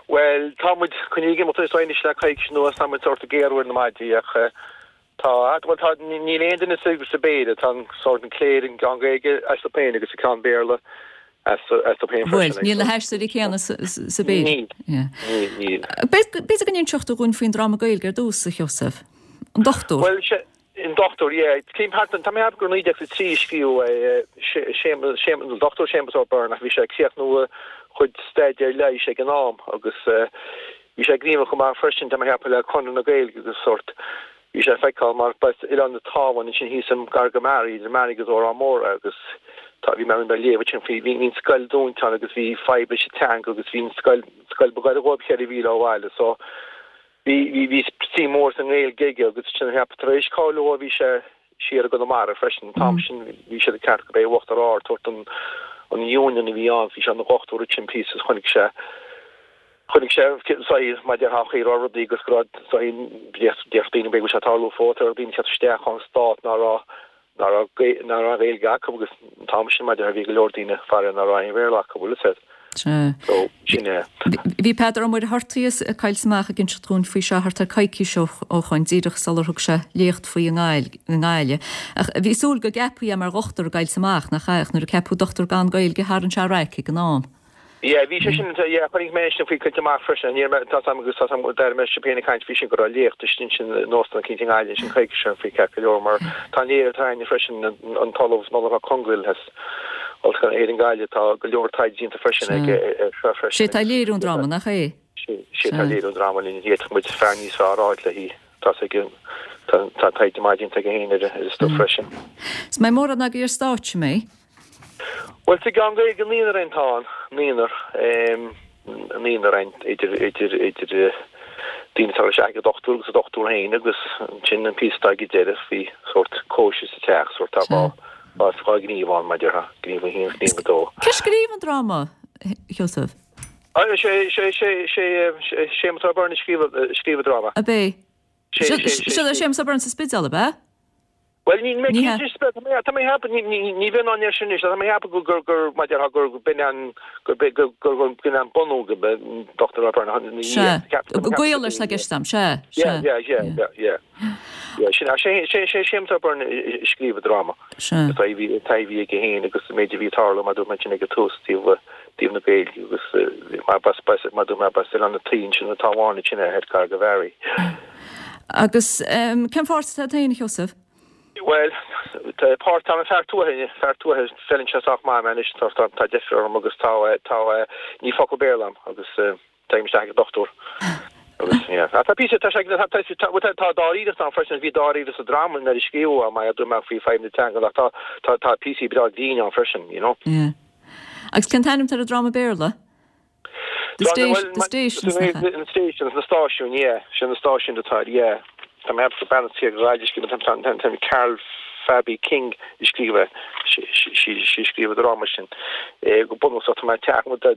Speaker 13: Bhuel, tá muid coinnithe ag imeacht anois le coicís anuas, tá muid sórt ag géarú ar na maidí ach tá, bhuel tá, níl aon duine sa sa bpéire, tá an sórt an chléir, an ceann Gaeilge astu féin agus an ceann Béarla astu féin
Speaker 1: freisin. Bhuel, níl na haisteoirí céanna sa bpéire.
Speaker 13: Níl, níl, níl.
Speaker 1: B'fhéidir go n-inseodh tú dhúinn faoin dráma Gaeilge ar dtús, a Sheosaimh. An Dochtúir.
Speaker 13: Bhuel, An Dochtúir, yeah. Cén part, tá mé ag ceapadh gur naoi déag a trí a scríobhadh é, Séamus, Séamus, an Dochtúir Séamus Ó Beirn, ach bhí sé ag críochnú a chuid staidéir leighis ag an am agus bhí sé gníomhach go maith freisin, tá mé ag ceapadh, le Conradh na Gaeilge agus sórt, bhí sé feiceáil mar b'as Oileán an Tábháin ansin thíos i gar go Mearaí, idir Mearaí agus Órán Mór é agus tá, bhí mé ag léamh ansin faoi, bhí an scoil dúnta ann agus bhí fadhb leis an teanga agus bhí an scoil, scoil ba ghaire dhóibh ceithre mhíle ó bhaile so Bhí, bhí, bhí suim mhór sa nGaeilge aige agus sin a cheap, tar éis cáiliú dó bhí sé siar i gConamara freisin an t-am sin, bhí siad ag ceapadh gurb é Uachtar Ard, sórt an, an Union a bhí ann, bhí sé ina dhochtúir ansin píosa is chonaic sé, chonaic sé saghas, mar déarfá an chaoi a raibh rudaí agus go raibh saghas, déarfadh daoine b'fhéidir go bhfuil sé ag tarlú fós, go raibh daoine ag teacht isteach ón Stát ná raibh, ná raibh, ná raibh Gaeilge acu agus an t-am sin mar déarfá bhí go leor daoine faraor ná raibh aon Bhéarla acu, bhfuil fhios a'd.
Speaker 1: Sea.
Speaker 13: So, sin é.
Speaker 1: Bhí Peadar Ó Muircheartaigh ag caint amach ag inseacht dhúinn faoi seo thart ar coicís ó shoin, díreach sular thug sé léacht faoi i nGaillimh. Ach bhí súil go gceapfaí é mar dhochtúir ag caint amach, nach ea? Ach nuair a ceapadh dochtúir gan Gaeilge tharraing sé raic ag an am.
Speaker 13: Yeah, bhí sé sin, yeah, chonaic mé sin faoi caint amach freisin. Ní raibh mé, tá 'sam agus tá 'sam, d'airigh mé sibh féin ag caint faoi sin go raibh léacht istigh ansin in óstán eicínt i nGaillimh ansin coicís ó shin faoi ceart go leor mar tá an léir atá againne freisin an tOllamh Nollaig Mac Congail as Ollscoil na hÉireann Gaillimh, tá go leor taighde déanta freisin aige air seo freisin.
Speaker 1: Sé atá ag léiriú an dráma, nach é?
Speaker 13: Sé atá ag léiriú an dráma linn, d'fhéadfadh muid fear níos fearr a fháil léi, tá 's aige, tá taighde maith déanta aige féin ar an stuif freisin.
Speaker 1: Is mbeidh mórán agaibh ar stáitse, an mbeidh?
Speaker 13: Bhuel, sa gceann Gaeilge naonúr againn atá ann, naonúr, naonúr againn idir, idir, idir daoine atá isteach ag an dochtúir agus an dochtúir féin agus ansin an píosa atá ag an deireadh faoi sórt cóisir sa teach, sórt tá dhá, dhá, dhá ghníomh ann mar a déarfá, gníomh a haon, gníomh a dó.
Speaker 1: Cé a scríobh an dráma, Sheosamh?
Speaker 13: Sé, sé, sé, sé, Séamus Ó Beirn a scríobh, a scríobh an dráma.
Speaker 1: Ab é?
Speaker 13: Sé, sé, sé.
Speaker 1: Seo é Séamus Ó Beirn sa Spidéal, ab ea?
Speaker 13: Bhuel, níl mé cinnte, tá mé ag ceapadh, ní bheinn in ann air sin anois, tá mé ag ceapadh gur, gur, gur, mar a déarfá, gur b'in an, gur, gur, gur, gur b'in an bunú, go b'in an Dochtúir Ó Beirn ina
Speaker 1: Sea,
Speaker 13: dhiaidh.
Speaker 1: gaol leis atá i gceist a'm, sea, sea.
Speaker 13: Yeah, yeah, yeah, yeah, yeah. Yeah, sin, sé, sé, sé Séamus Ó Beirn a scríobh an dráma.
Speaker 1: Sea.
Speaker 13: An taithí, an taithí a bhí aige féin agus an méid a bhí ag tarlú, mar a dúirt mé ansin ag an tús, taobh, taobh na Gaeilge agus mar b'as, b'as, mar a dúirt mé, b'as Oileán na Tuí ansin an Tábháin ansin é, gar go Mheáraí.
Speaker 1: Agus cén pháirt atá agat féin, a Sheosaimh?
Speaker 13: Bhuel, tá páirt agam, fear tuaithe, fear tuaithe, feileann sé sách maith mé anois, tá, tá, tá deifir orm agus tá, tá, níl focal Béarla agam agus téim isteach ag an dochtúir. Agus, yeah. Tá píosa, tá sé, tá, tá, tá, tá, tá dáiríreacht ann freisin, bhí dáiríre sa dráma nuair a scríobhadh é, mar a dúirt mé faoi fadhb na teanga, ach tá, tá, tá píosaí breá grinn ann freisin, you know.
Speaker 1: Yeah. Agus cén t-ainm atá ar an dráma Béarla? The Station, the Stations, nach ea?
Speaker 13: The Stations, na stáisiúin, yeah. Sin na stáisiúin atá air, yeah. Tá mé ag ceapadh bean as Gaillimh a scríobh, tá, tá, tá Carol Fabi King a scríobh é. Sí, sí, sí a scríobh an dráma sin. Go bunúsach tá mé ag teach, tá,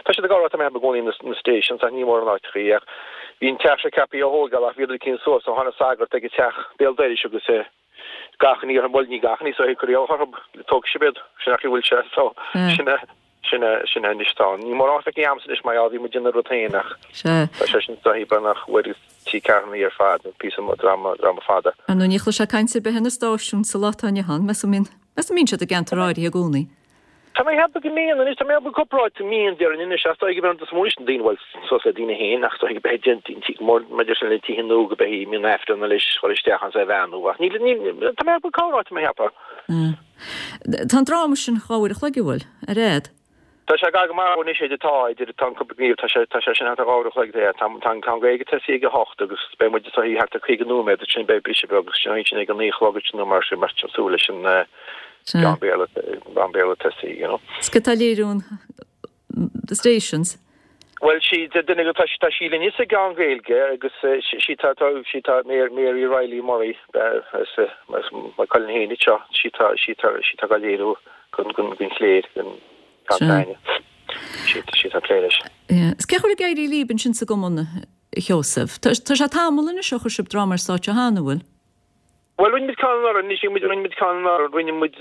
Speaker 13: tá siad ag rá tá mé ag ceapadh i gcónaí na, na Stations ach ní mór an áit í ach bhí an teach seo ceaptha a thógáil ach bhíodar cinn suas ó tháinig sagart ag an teach béal dorais agus eh, gach ní orthu, bhuel ní gach ní so cuir orthu, tógfaidh sibh iad, sin nach bhfuil sé so, sin é. Sin é, sin é anois tá. Ní mórán feicthe a'msa anois mar gheall, bhí muid ina rud féin ach
Speaker 1: Sea.
Speaker 13: tá sé sin sa thaobh nach bhfuil trí ceathrúna ar fad, píosa dráma, dráma fada.
Speaker 1: Ar ndóigh ní chloisfeá caint ar bith ar na stáisiúin sa lá atá inniu ann, meas tú an mbíonn, meas tú an mbíonn siad i gceantar áirithe i gcónaí?
Speaker 13: Tá mé ag ceapadh go mbíonn anois, tá mé ag ceapadh cúpla áit go mbíonn déarfainn anois ach is dóigh go mbíonn is mó anois na daoine, bhuel, suas le daoine féin ach is dóigh go mbeidh déanta go mór maidir sin le tithe nua go mbeidh mbíonn Aifreann leis chur isteach ann is é a bheannú ach níl, níl, tá mé ag ceapadh corr áit tá mé ag ceapadh.
Speaker 1: Tá an dráma sin dhá uair a chloig, an bhfuil? Ar fhad?
Speaker 13: Tá sé gar go maith anois idir tá, idir tá an cúpla gníomh, tá sé, tá sé sin thart ar dhá uair a chloig é. Tá, tá an ceann Gaeilge tosaithe ag a hocht agus beidh muid tosaithe thart ar caoga nóiméad ansin beidh briseadh beag agus sin sin ag a naoi a chlog ansin nó mar sin, mar sin súil leis an, Beagán Béarla, beagán Béarla tosaigh, you know.
Speaker 1: Is cé atá ag léiriú an The Stations?
Speaker 13: Bhuel, sí, duine go, tá tá sí linn sa gceann Gaeilge agus sí tá tá sí tá Mary Riley Murray as as Maigh Cuilinn féin seo, sí tá sí tá sí tá ag léiriú gon gon gon chléir gon Tanya. Sí sí tá plé leis.
Speaker 1: Is cén chaoi a bhfuil ag éirí libh ansin sa gcumann, a Sheosaimh? Tá tá sé tamall anois ó chuir sibh dráma ar stáitse cheana, an bhfuil?
Speaker 13: Bhuel, rinne muid ceann anuraidh, anois muid rinne muid ceann anuraidh, rinne muid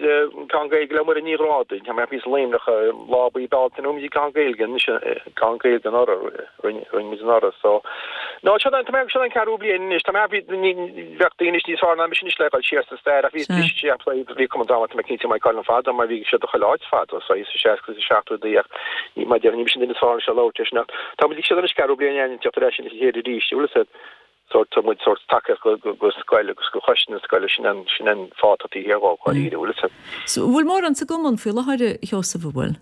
Speaker 13: ceann Gaeilge le Muireann Ní Ghrádaigh, tá mé thíos i Luimneach, lá buí Bealtaine, rinne muid ceann Gaeilge anois, ceann Gaeilge anuraidh, rinne rinne muid anuraidh, so. No, seo an, tá mé, seo an ceathrú bliain anois, tá mé, bhí, ní, bheadh daoine anois níos fearr ná mise anois le dhul siar sa stair ach bhí, bhí sé, bhí Cumann Drámaíochta Maigh cinnte Maigh Cuilinn fada mar bhí siad chuile áit fada, so sa seasca is a seachtóidí ach ní, mar déarfainn, ní mise an duine is fearr anois le labhairt air sin ach tá muid ag siad anois ceathrú bliain againn teacht ar ais ina chéile arís, bhfuil a fhios agat. sórt tá muid sórt tacaíocht go go go scoil agus go choiste na scoile sin an sin an fáth atá thiar dhó dháiríre bhfuil a fhios agat.
Speaker 1: So bhfuil mórán sa gcumann faoi láthair a Sheosaimh an bhfuil?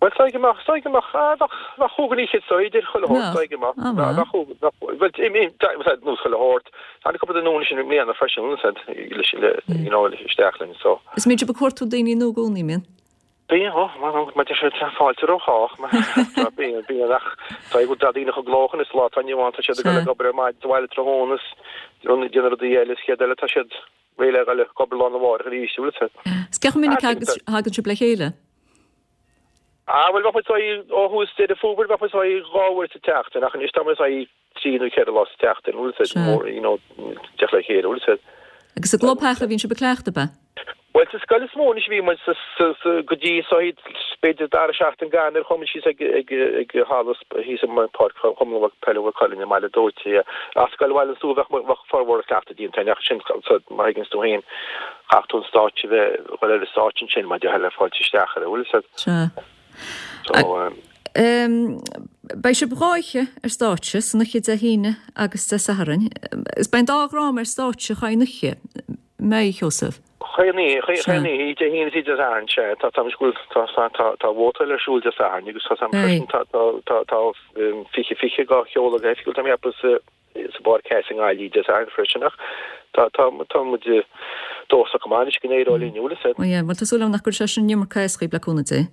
Speaker 13: Bhuel is dóigh go mbeadh is dóigh go mbeadh ah bheadh bheadh chúig fhichead so idir chuile shórt is dóigh go mbeadh
Speaker 1: Ah
Speaker 13: bheadh chúig bheadh bhuel i mean nós chuile shórt tháinig cúpla duine nua anois i mbliana freisin bhfuil a fhios agat leis le you know isteach linn so.
Speaker 1: Is mbíonn sibh ag cuartú daoine nua i gcónaí mbíonn?
Speaker 13: Bíonn, ó, mar deir siad, fáilte roimh chách, mar bíonn, bíonn, ach tá go tá daoine chomh gnóthach anois sa lá atá inniu ann, tá siad ag dul ag obair ar maidin sa bhaile tráthnóna is déanamh rudaí eile is chéad eile tá siad réidh le dhul ag obair lá arna mhárach arís, bhfuil a fhios agat.
Speaker 1: Is cé chomh minic a thagann sibh le chéile?
Speaker 13: Ah, bhuel, bheadh muid saghas ó thús Deireadh Fómhair, bheadh muid saghas dhá uair sa tseachtain, ach anois tá muid saghas trí nó ceithre lá sa tseachtain, bhfuil a fhios agat, mór, you know, teacht le chéile, bhfuil a fhios agat.
Speaker 1: Agus i gclubtheach a bhíonn sibh ag cleachtadh, ab ea?
Speaker 13: Bhuel, sa scoil is mó anois a bhí muid sa, sa, sa, go dtí saghas b'fhéidir dara seachtain d'Eanáir chuaigh muid síos ag, ag, ag halla thíos i bPáirc Chumann Peile Mhaigh Cuilinn i mBaile Dóite, yeah. Ach Scoil Bhaile an Tsúir bheadh, bheadh formhór ag cleachtadh déanta ach sin, so, mar thuigeanns tú féin, chaithfeadh tú an stáitse a bheith, dhul ar an stáitse ansin mar déarfá le fáilte isteach air, bhfuil a fhios agat?
Speaker 1: Sea.
Speaker 13: So, um.
Speaker 1: Beidh sibh dhá oíche ar stáitse, san oíche Dé hAoine agus Dé Sathairn. Is beidh an dá dhráma ar stáitse chaon oíche, mbeidh, a Sheosaimh?
Speaker 13: Chaon oíche, chaon oíche, Dé hAoine is Dé Sathairn, sea. Tá, tá, tá, tá, tá, tá vótáil ar siúl Dé Sathairn agus tá, tá, tá, tá, tá, tá fiche fiche á sheoladh go hoifigiúil, tá mé ag ceapadh sa, sa bPáirc Theas i nGaillimh Dé Sathairn freisin ach tá, tá, tá muid dóchasach go maith anois go n-éireoidh linn, bhfuil a fhios agat.
Speaker 1: Ó yeah, bhuel tá súil agam nach gcuirfidh sé sin an iomarca as dhaoibh le cúnamh Dé.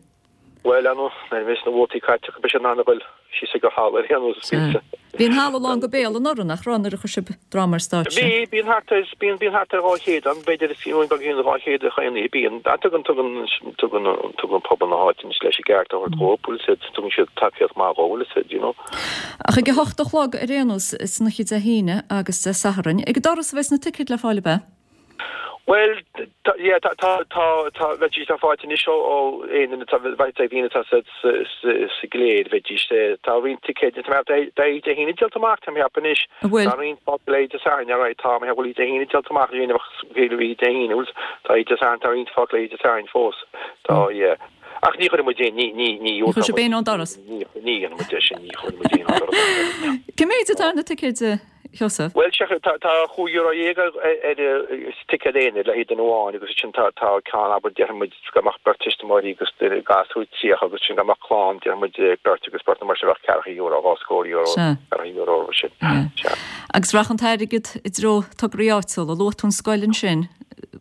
Speaker 13: Bhuel, ar ndóigh, nuair a bheas na vótaí caite acu beidh siad in ann a dhul síos ag an halla ar aon nós, is cinnte.
Speaker 1: Bhí an halla lán go béal anuraidh, nach raibh, nuair a chuir sibh dráma ar stáitse?
Speaker 13: Bhí, bíonn thart ar, bíonn, bíonn thart ar dhá chéad ann, b'fhéidir, is fiú beagáinín dhá chéad a chaon oíche, bíonn. Tugann, tugann, tugann, tugann pobal na háite anois leis an gceart a thabhairt dhóibh, bhfuil a fhios agat, tugann siad tacaíocht maith dhóibh, bhfuil a fhios agat, you know.
Speaker 1: Ach ag a hocht a chlog ar aon nós, san oíche Dé hAoine agus Dé Sathairn, ag an doras a bheas na ticéid le fáil, ab ea?
Speaker 13: Bhuel, tá, yeah, tá, tá, tá, tá, bheidís le fáilt anois ó, ó aon duine atá, bheidh daoine atá sa, sa, sa, sa gcléir, bheidís, tá roinnt ticéid, tá mé, tá Dé hAoine díolta amach, tá mé ag ceapadh anois.
Speaker 1: An bhfuil?
Speaker 13: Tá roinnt fágtha le Dé Sathairn, alright, tá mé ag ceapadh go bhfuil Dé hAoine díolta amach, ní bheadh bhí Dé hAoine, bhfuil, tá Dé Sathairn, tá roinnt fágtha le Dé Sathairn fós, tá, yeah. Ach ní chuirfidh muid aon, ní, ní, ní
Speaker 1: Ní chuirfidh sibh éinne ón doras?
Speaker 13: Ní, ní dhéanfaidh muid é sin, ní chuirfidh muid éinne ón doras.
Speaker 1: Cé méid atá ar na ticéid, Sheosaimh?
Speaker 13: Bhuel, sea, tá, tá chúig euro dhéag ar, ar ticéad aonair le haghaidh duine amháin agus ansin tá, tá ceann, abair, déarfaidh muid go mbeadh beirt tuismitheoirí agus duine gasúr tríocha agus ansin go mbeadh clann, déarfaidh muid beirt agus beirt nó mar sin bheadh ceathracha euro, dhá scór euro,
Speaker 1: Sea.
Speaker 13: ceathracha euro mar sin. Sea.
Speaker 1: Agus rachaidh an t-airgead i dtreo tograí áitiúla. Luaigh tú an scoil ansin.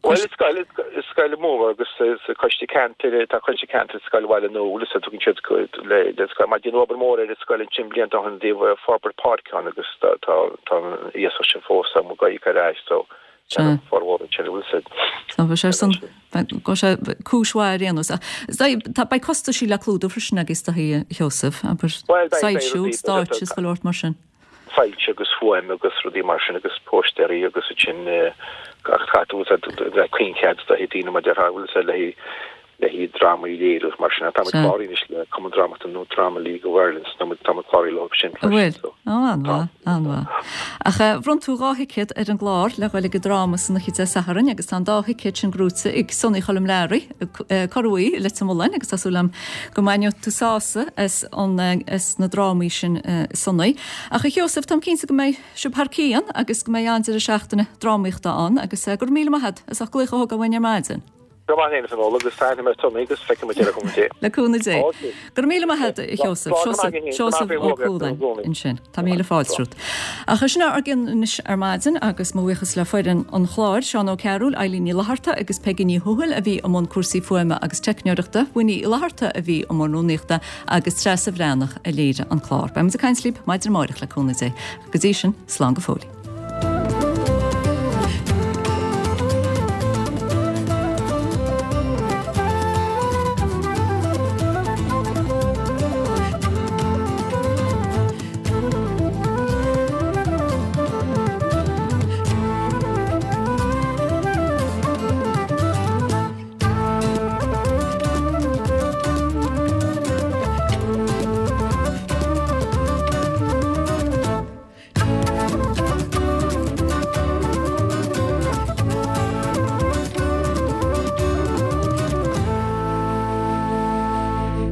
Speaker 13: Bhuel, is scoil, is scoil mhór agus sa coiste ceantair, tá coiste ceantair Scoil Bhaile Nua, bhfuil a fhios agat, tugann siad le le scoil, mar déanadh obair mhór ar an scoil ansin blianta ó shin i dtaobh forbairt páirce ann agus tá tá tá an iasacht sin fós á íoc ar ais so
Speaker 1: Sea.
Speaker 13: formhór ansin, bhfuil a fhios agat.
Speaker 1: Tá sé ar son, go sé cúis mhaith ar aon nós. Tá beidh costaisí le clúdú freisin agaibh is dóichí, a Sheosaimh, abair,
Speaker 13: Bhuel, beidh, beidh
Speaker 1: soilsiú,
Speaker 13: rudaí,
Speaker 1: stáitse is chuile shórt mar sin.
Speaker 13: soilse agus fuaim agus rudaí mar sin agus póistéirí agus ansin gach caithfidh tú le coinchead do daoine mar déarfá bhfuil a fhios agat le haghaidh le haghaidh drámaí a léiriú mar sin. Tá muid cláraithe anois le Cumann Drámaíochta nó Drama League of Ireland so tá muid tá muid cláraithe leo sin
Speaker 1: An bhfuil?
Speaker 13: freisin so
Speaker 1: Ó, an-mhaith, an-mhaith. Ach bhronn tú dhá thicéad ar an gclár le dhul ag an dráma san oíche Dé Sathairn agus tá an dá thicéad sin gnóite ag Sonaí Choilm Learaí, Corr Bhuí i Leitir Mealláin agus tá súil agam go mbainfidh tú sásamh as an as na drámaí sin Sonaí. Ach a Sheosaimh, táim cinnte go mbeidh sibh thar cionn agus go mbeidh an-deireadh seachtaine drámaíochta ann agus go raibh míle maith agat as ucht glaoch a thógáil uainn ar maidin.
Speaker 13: Go maith féin a Fionnuala agus tá aithne ar Tommy agus feicfidh muid ar cúnamh Dé.
Speaker 1: Le cúnamh Dé.
Speaker 13: Ok.
Speaker 1: Go raibh míle maith agat a Sheosaimh.
Speaker 13: Slán go maith againn.
Speaker 1: Seosamh Ó Cualáin ansin. Tá míle fáilte romhat. Ach sin ár gcionn anois ar maidin agus mo bhuíochas le foireann an chláir, Seán Ó Cearúil, Eilín Ní Fhlatharta agus Peigí Ní Thuathail a bhí i mbun cúrsaí fuaime agus teicneoireachta, Winnie Uí Fhlatharta a bhí i mbun rúnaíochta agus Treasa Bhreathnach a léirigh an clár. Beidh muid ag caint libh maidin amárach le cúnamh Dé. Go dtí sin, slán go fóill.